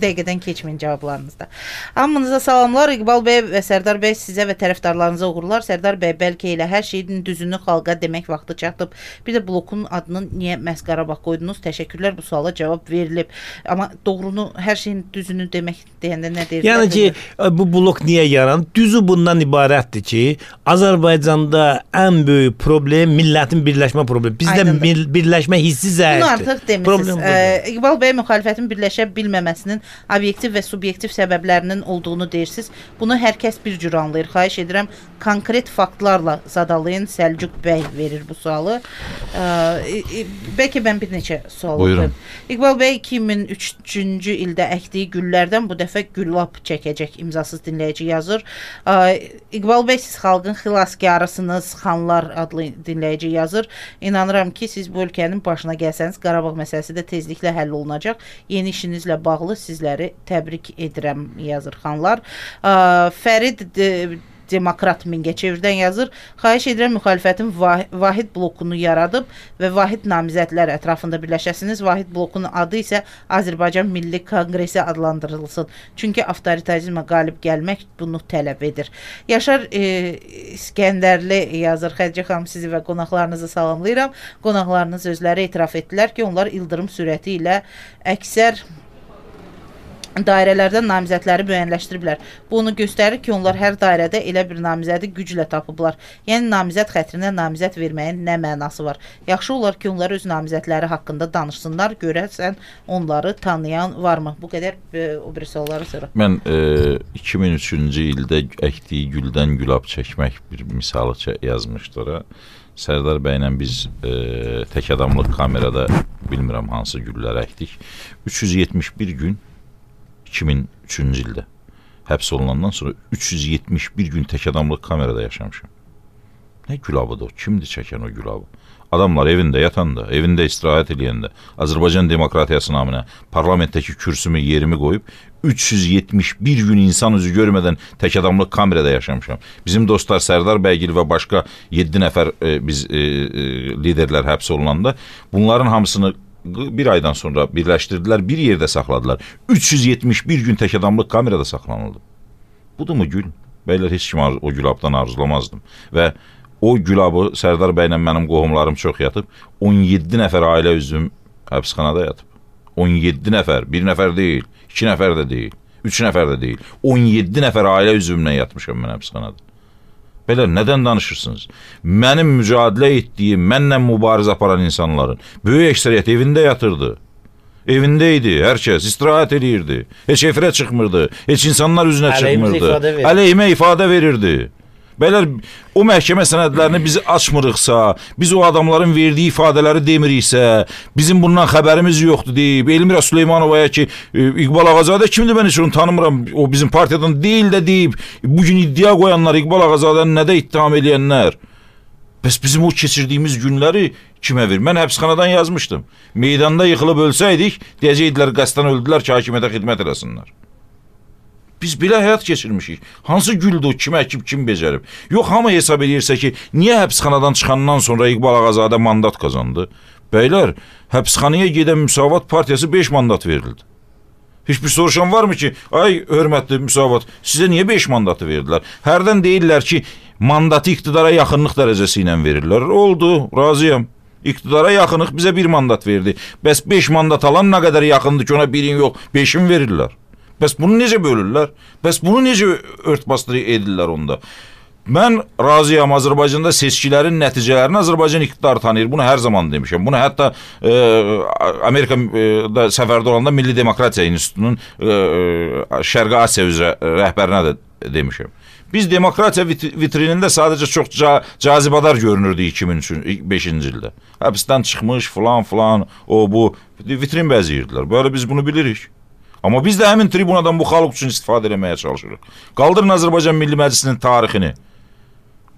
dəqiqədən keçməyin cavablarınızda. Hamınıza salamlar. İqbal bəy və Sərdar bəy, sizə və tərəfdarlarınıza uğurlar. Sərdar bəy, bəlkə elə hər şeyin düzünü xalqa demək vaxtı çatıb. Bir də blokun adını niyə məhz Qarabağ qoydunuz? Təşəkkürlər, bu suala cavab verilib. Amma doğrunu, hər şeyin düzünü demək deyəndə nə deyir? Yəni ki, bu blok niyə yaranıb? Düzü bundan ibarətdir ki, Azərbaycanda ən böyük problem millətin birləşmə problemi. Bizdə birləşmə hissi zəifdir. Bunu artıq demişsiniz. İqbal bəy, müxalifətin birləşə bilməməsinin obyektiv və subyektiv səbəblərinin olduğunu deyirsiniz. Bunu hər kəs bir cür anlayır. Xahiş edirəm, konkret faktlarla zadalayın. Səlcuq bəy verir bu sualı. Bəlkə mən bir neçə sual qoyum. İqbal bəy 2003-cü ildə əkdiyi güllərdən bu dəfə güllab çəkəcək imzasız dinləyici yazır. İqbal bəy, siz xalqın xilaskarısınız, Xanlar adlı dinləyici yazır. İnanıram ki, siz bu ölkənin başına gəlsəniz, Qarabağ məsələsi də tezliklə həll olunacaq. Yeni işinizlə bağlı sizləri təbrik edirəm, yazır Xanlar. Fərid Demokrat Mingəçevirdən yazır. Xahiş edirəm, müxalifətin vahid blokunu yaradıb və vahid namizədlər ətrafında birləşəsiniz. Vahid blokunun adı isə Azərbaycan Milli Konqresi adlandırılsın. Çünki avtoritarizmə qalib gəlmək bunu tələb edir. Yaşar İskəndərli yazır. Xədicə xanım, sizi və qonaqlarınızı salamlayıram. Qonaqlarınız özləri etiraf etdilər ki, onlar ildırım sürəti ilə əksər dairələrdən namizədləri müəyyənləşdiriblər. Bu onu göstərir ki, onlar hər dairədə elə bir namizədi güclə tapıblar. Yəni, namizəd xətrinə namizəd verməyin nə mənası var? Yaxşı olar ki, onlar öz namizədləri haqqında danışsınlar, görəsən onları tanıyan varmı? Bu qədər o bir sualları sonra. Mən 2003-cü ildə əkdiyi güldən gülab çəkmək bir misalı yazmışdır. Sərdar bəylə biz tək adamlıq kamerada bilmirəm hansı güllər əkdik. 371 gün 2003-cü ildə həbs olunandan sonra 371 gün tək adamlıq kamerada yaşamışam. Nə gülabıdır o? Kimdir çəkən o gülabı? Adamlar evində yatanda, evində istirahət eləyəndə, Azərbaycan demokratiyası naminə parlamentdəki kürsümü, yerimi qoyub 371 gün insan üzü görmədən tək adamlıq kamerada yaşamışam. Bizim dostlar Sərdar bəygil və başqa 7 nəfər biz liderlər həbs olunanda bunların hamısını bir aydan sonra birləşdirdilər, bir yerdə saxladılar. 371 gün tək adamlıq kamerada saxlanıldı. Budur mu gül? Bəylər, heç kim o gülabdan arzulamazdım. Və o gülabı Sərdar bəylə mənim qohumlarım çox yatıb. 17 nəfər ailə üzvüm həbsxanada yatıb. 17 nəfər, bir nəfər deyil, 2 nəfər də deyil, 3 nəfər də deyil. 17 nəfər ailə üzvümlə yatmışam mən həbsxanada. Belə, nədən danışırsınız? Mənim mücadilə etdiyim, mənlə mübarizə aparan insanların böyük əksəriyyət evində yatırdı. Evində idi, hər kəs istirahət edirdi. Heç efirə çıxmırdı, heç insanlar üzünə çıxmırdı. Əleyhimə ifadə verirdi. Bəylər, o məhkəmə sənədlərini biz açmırıqsa, biz o adamların verdiyi ifadələri demiriksə, bizim bundan xəbərimiz yoxdur deyib, Elmira Süleymanovaya ki, İqbal Ağazadə kimdir, mən heç onu tanımıram, o bizim partiyadan deyil də deyib, bugün iddia qoyanlar, İqbal Ağazadəni nədə ittiham edənlər. Bəs bizim o keçirdiyimiz günləri kimə verir? Mən həbsxanadan yazmışdım. Meydanda yıxılıb ölsəydik, deyəcəkdilər, qəsdən öldülər ki, hakimiyyətə xidmət eləsinlər. Biz belə həyat keçirmişik. Hansı güldür o, kim əkib, kim becərib? Yox, hamı hesab edirsə ki, niyə həbsxanadan çıxandan sonra İqbal Ağazadə mandat qazandı? Bəylər, həbsxanaya gedən Müsavat partiyası 5 mandat verildi. Heç bir soruşan varmı ki, ay hörmətli Müsavat, sizə niyə 5 mandatı verdilər? Hərdən deyirlər ki, mandatı iqtidara yaxınlıq dərəcəsi ilə verirlər. Oldu, razıyam. İqtidara yaxınlıq bizə 1 mandat verdi. Bəs 5 mandat alan nə qədər yaxındır ki, ona 1-in yox, 5-in verirlər. Bəs bunu necə bölürlər? Bəs bunu necə örtbasdır edirlər onda? Mən razıyam, Azərbaycanda seçkilərin nəticələrini Azərbaycan iqtidarı tanıyır. Bunu hər zaman demişəm. Bunu hətta Amerikada səfərdə olanda Milli Demokratiya İnstitutunun Şərqi Asiya üzrə rəhbərinə də demişəm. Biz demokratiya vitrinində sadəcə çox cazibadar görünürdük 2005-ci ildə. Həbsdən çıxmış filan, o bu vitrin bəziyirdilər. Böyle biz bunu bilirik. Amma biz də həmin tribunadan bu xalq üçün istifadə etməyə çalışırıq. Qaldırın Azərbaycan Milli Məclisinin tarixini.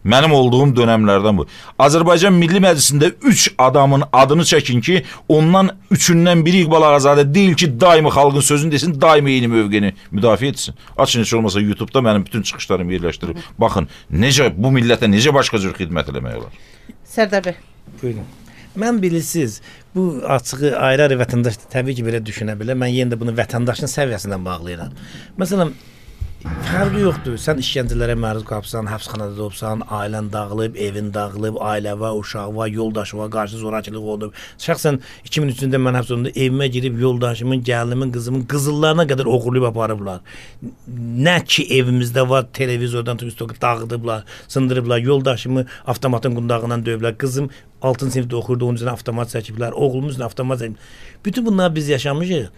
Mənim olduğum dönəmlərdən bu. Azərbaycan Milli Məclisində 3 adamın adını çəkin ki, ondan 3-ündən biri İqbal Ağazadə deyil ki, daimi xalqın sözünü desin, daimi eyni mövqeni müdafiə etsin. Açın, heç olmasa YouTube-da mənim bütün çıxışlarımı yerləşdirib. Baxın, necə bu millətə necə başqa cür xidmət eləmək olar. Sərdar bəy. Buyurun. Mən bilirsiniz, bu açığı ayrı-ayrı vətəndaş təbii ki, belə düşünə bilər. Mən yenə də bunu vətəndaşın səviyyəsindən bağlayıram. Məsələn, fərqi yoxdur. Sən işgəncələrə məruz qalbsan, həbsxanada olubsan, ailən dağılıb, evin dağılıb, ailə var, uşaq var, yoldaşı var, qarşı zorakılıq olub. Şəxsən 2003-cü mən həbs olunduğumda evimə girib yoldaşımın, gəlinimin, qızımın qızıllarına qədər oğurlayıb aparıblar. Nə ki evimizdə var, televizordan dağıdıblar, sındırıblar, yoldaşımı avtomatın qundağından döyüblər, qızım 6-cı sinifdə oxurdu, onun üçün avtomat çəkiblər, oğlumuz üçün avtomat çəkiblər. Bütün bunlar biz yaşamışıq.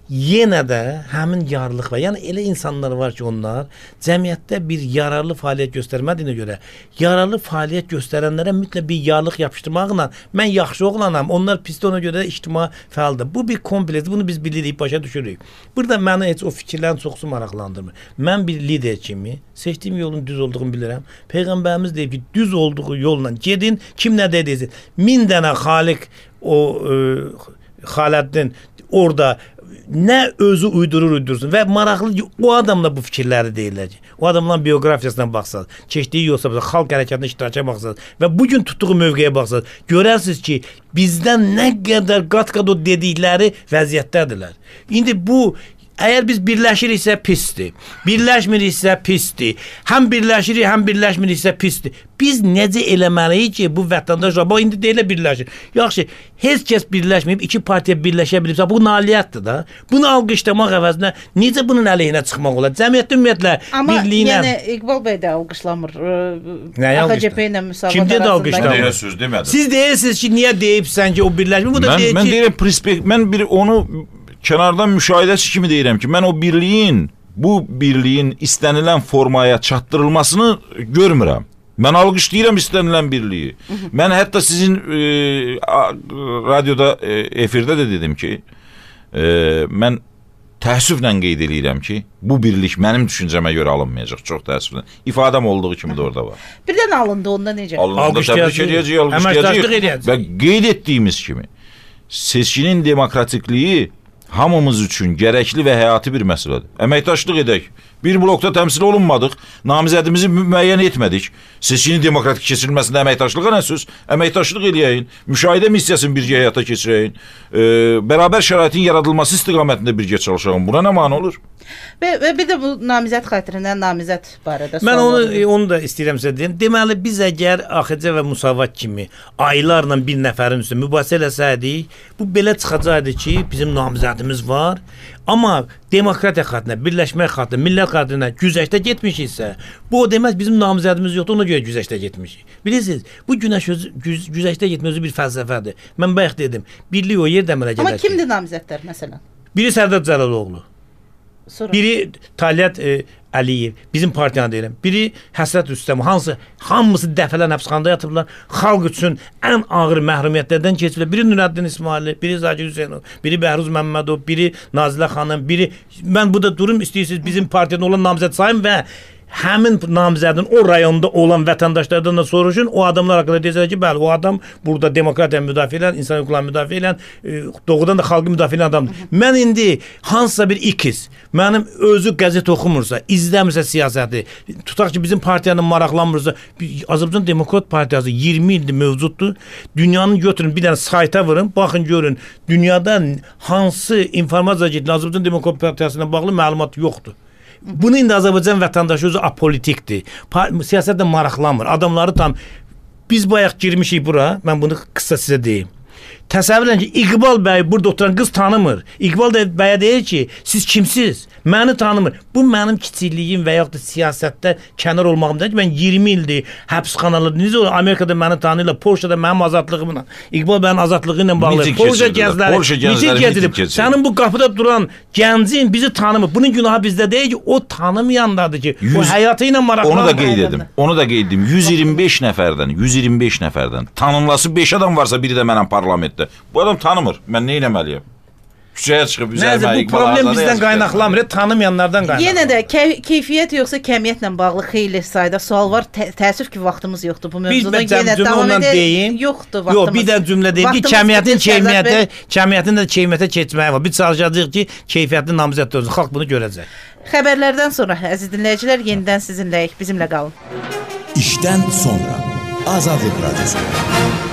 Yenə də həmin yararlıq var. Yəni elə insanlar var ki, onlar cəmiyyətdə bir yararlı fəaliyyət göstərmədiyinə görə yararlı fəaliyyət göstərənlərə mütləq bir yararlıq yapışdırmaqla mən yaxşı oğlanam, onlar pisdir, ona görə də ictimai fəaldır. Bu bir kompleks, bunu biz bilirik, başa düşürük. Burada məni heç o fikirlərin çoxusu maraqlandırmır. Mən bir lider kimi seçdiyim yolun düz olduğunu bilirəm. Peyğəmbərimiz deyib ki, düz olduğu yolla gedin, kim nə deyir? 1000 dənə xaliq Xaləddin orada nə özü uydursun və maraqlı o adamla bu fikirləri deyirlər ki, o adamların biografiyasına baxsaq, keçdiyi yolsa baxsaq, xalq hərəkatına iştirakə baxsaq və bugün tutduğu mövqeyə baxsaq, görərsiniz ki, bizdən nə qədər qat-qat o dedikləri vəziyyətdədirlər. İndi bu əgər biz birləşiriksə pisdir, birləşmiriksə pisdir, həm birləşirik, həm birləşmiriksə pisdir. Biz necə eləməliyik ki, bu vətəndaşlar, bax, indi deyilə birləşir. Yaxşı, heç kəs birləşməyib, 2 partiya birləşə bilibsə, bu nailiyyətdir da. Bunu alqışlamaq əvəzinə necə bunun əleyhinə çıxmaq olar? Cəmiyyətdə ümumiyyətlə birliyinə... Amma yəni İqbal bəy də alqışlamır. AXCP ilə müsavat arasında. Siz deyirsiniz ki, niyə deyibsən ki, o birləşmir? Bu da deyir ki... Mən deyirəm, mən bir onu kənardan müşahidəçi kimi deyirəm ki, mən o bu birliyin istənilən formaya çatdırılmasını görmürəm. Mən alqışlayıram istənilən birliyi. Mən hətta sizin radioda, efirdə də dedim ki, mən təəssüflə qeyd edirəm ki, bu birlik mənim düşüncəmə görə alınmayacaq, çox təəssüflə. İfadəm olduğu kimi də orada var. Birdən alındı, onda necə? Alındı, təbrik edəcəyik. Və qeyd etdiyimiz kimi, seçkinin demokratikliyi hamımız üçün gərəkli və həyati bir məsələdir. Əməkdaşlıq edək. Bir blokda təmsil olunmadıq, namizədimizi müəyyən etmədik. Seçkinin demokratik keçirilməsində əməkdaşlığa nə söz? Əməkdaşlıq eləyəyin, müşahidə missiyasını birgə həyata keçirəyin, bərabər şəraitin yaradılması istiqamətində birgə çalışalım. Buna nə mane olur? Və bir də bu namizəd xatirəndən namizəd barədə mən onu da istəyirəm sizə deyim. Deməli biz əgər AXC və Müsavat kimi aylarla bir nəfərin üstə mübahisə eləsəydik, bu belə çıxacaqdı ki, bizim namizədimiz var. Amma demokratiya xatirinə, birləşmək xatirinə, millət xatirinə güzəştə getmişiksə, bu o deməz bizim namizədimiz yoxdur, ona görə güzəştə getmişik. Bilirsiniz, bu güzəştə getmə özü bir fəlsəfədir. Mən bayaq dedim, birlik o yerdə əmələ gələr ki. Amma kimdir namizədlər məsələn? Biri Sərdar Cəlaloğlu. Sonra. Biri Talyat Əliyev, bizim partiyanı deyirəm. Biri Həsrət Rüstəm, hamısı dəfələrlə həbsxanada yatıblar. Xalq üçün ən ağır məhrumiyyətlərdən keçiblər. Biri Nurəddin İsmailov, biri Zakir Hüseynov, biri Bəhruz Məmmədov, biri Nazilə xanım, biri mən burada durum istəyirsiniz bizim partiyada olan namizəd sayım və həmin namizədin o rayonda olan vətəndaşlardan da soruşun. O adamlar haqqında deyəcəklər ki, bəli, o adam burada demokratiya müdafiə edən, insan hüquqlarını müdafiə edən, doğrudan da xalqı müdafiə edən adamdır. Mən indi hansısa bir ikiz, mənim özü qəzet oxumursa, izləmirsə siyasəti, tutaq ki, bizim partiyanın maraqlanmırsa, Azərbaycan Demokrat Partiyası 20 ildir mövcuddur. Dünyanın götürün, bir dənə sayta vurun, baxın görün, dünyada hansı informasiya getdi, Azərbaycan Demokrat Partiyasına bağlı məlumat yoxdur. Bunu indi Azərbaycan vətəndaşı özü apolitikdir. Siyasətlə maraqlanmır. Adamları tam biz bayaq girmişik bura. Mən bunu qısa sizə deyim. Təsəvvür edin ki, İqbal bəy burada oturan qız tanımır. İqbal bəyə deyir ki, siz kimsiz? Məni tanımır. Bu mənim kiçikliyim və yaxud da siyasətdə kənar olmağımdır ki, mən 20 ildir həbsxanalarda, necə olur? Amerikada məni tanıyırlar, Polşada mənim azadlığımla, İqbal bəyin azadlığı ilə bağlı. Polşa gəzləri gedirib. Sənin bu qapıda duran gəncin bizi tanımır. Bunun günahı bizdə deyil ki, o tanımayandadır ki, o həyatı ilə maraqlanır. Onu da qeyd edim. 125 nəfərdən tanınması 5 adam varsa, biri də mənəm parlamentdə. Bu adam tanımır. Mən nə etməliyəm? Küçəyə çıxıb üzərimə bu problem bizdən qaynaqlamır, tanımayanlardan qaynaqlanır. Yenə də keyfiyyət yoxsa kəmiyyətlə bağlı xeyli sayda sual var. Təəssüf ki, vaxtımız yoxdur bu mövzuda. Yenə davam edək. Yoxdur vaxtımız. Yox, bir də cümlə deyim ki, kəmiyyətin də keyfiyyətə keçməyi var. Biz çalışacağıq ki, keyfiyyətli namizəd olsun. Xalq bunu görəcək. Xəbərlərdən sonra əziz dinləyicilər yenidən sizinləyik. Bizimlə qalın. İşdən sonra Azadlıq Radiosu.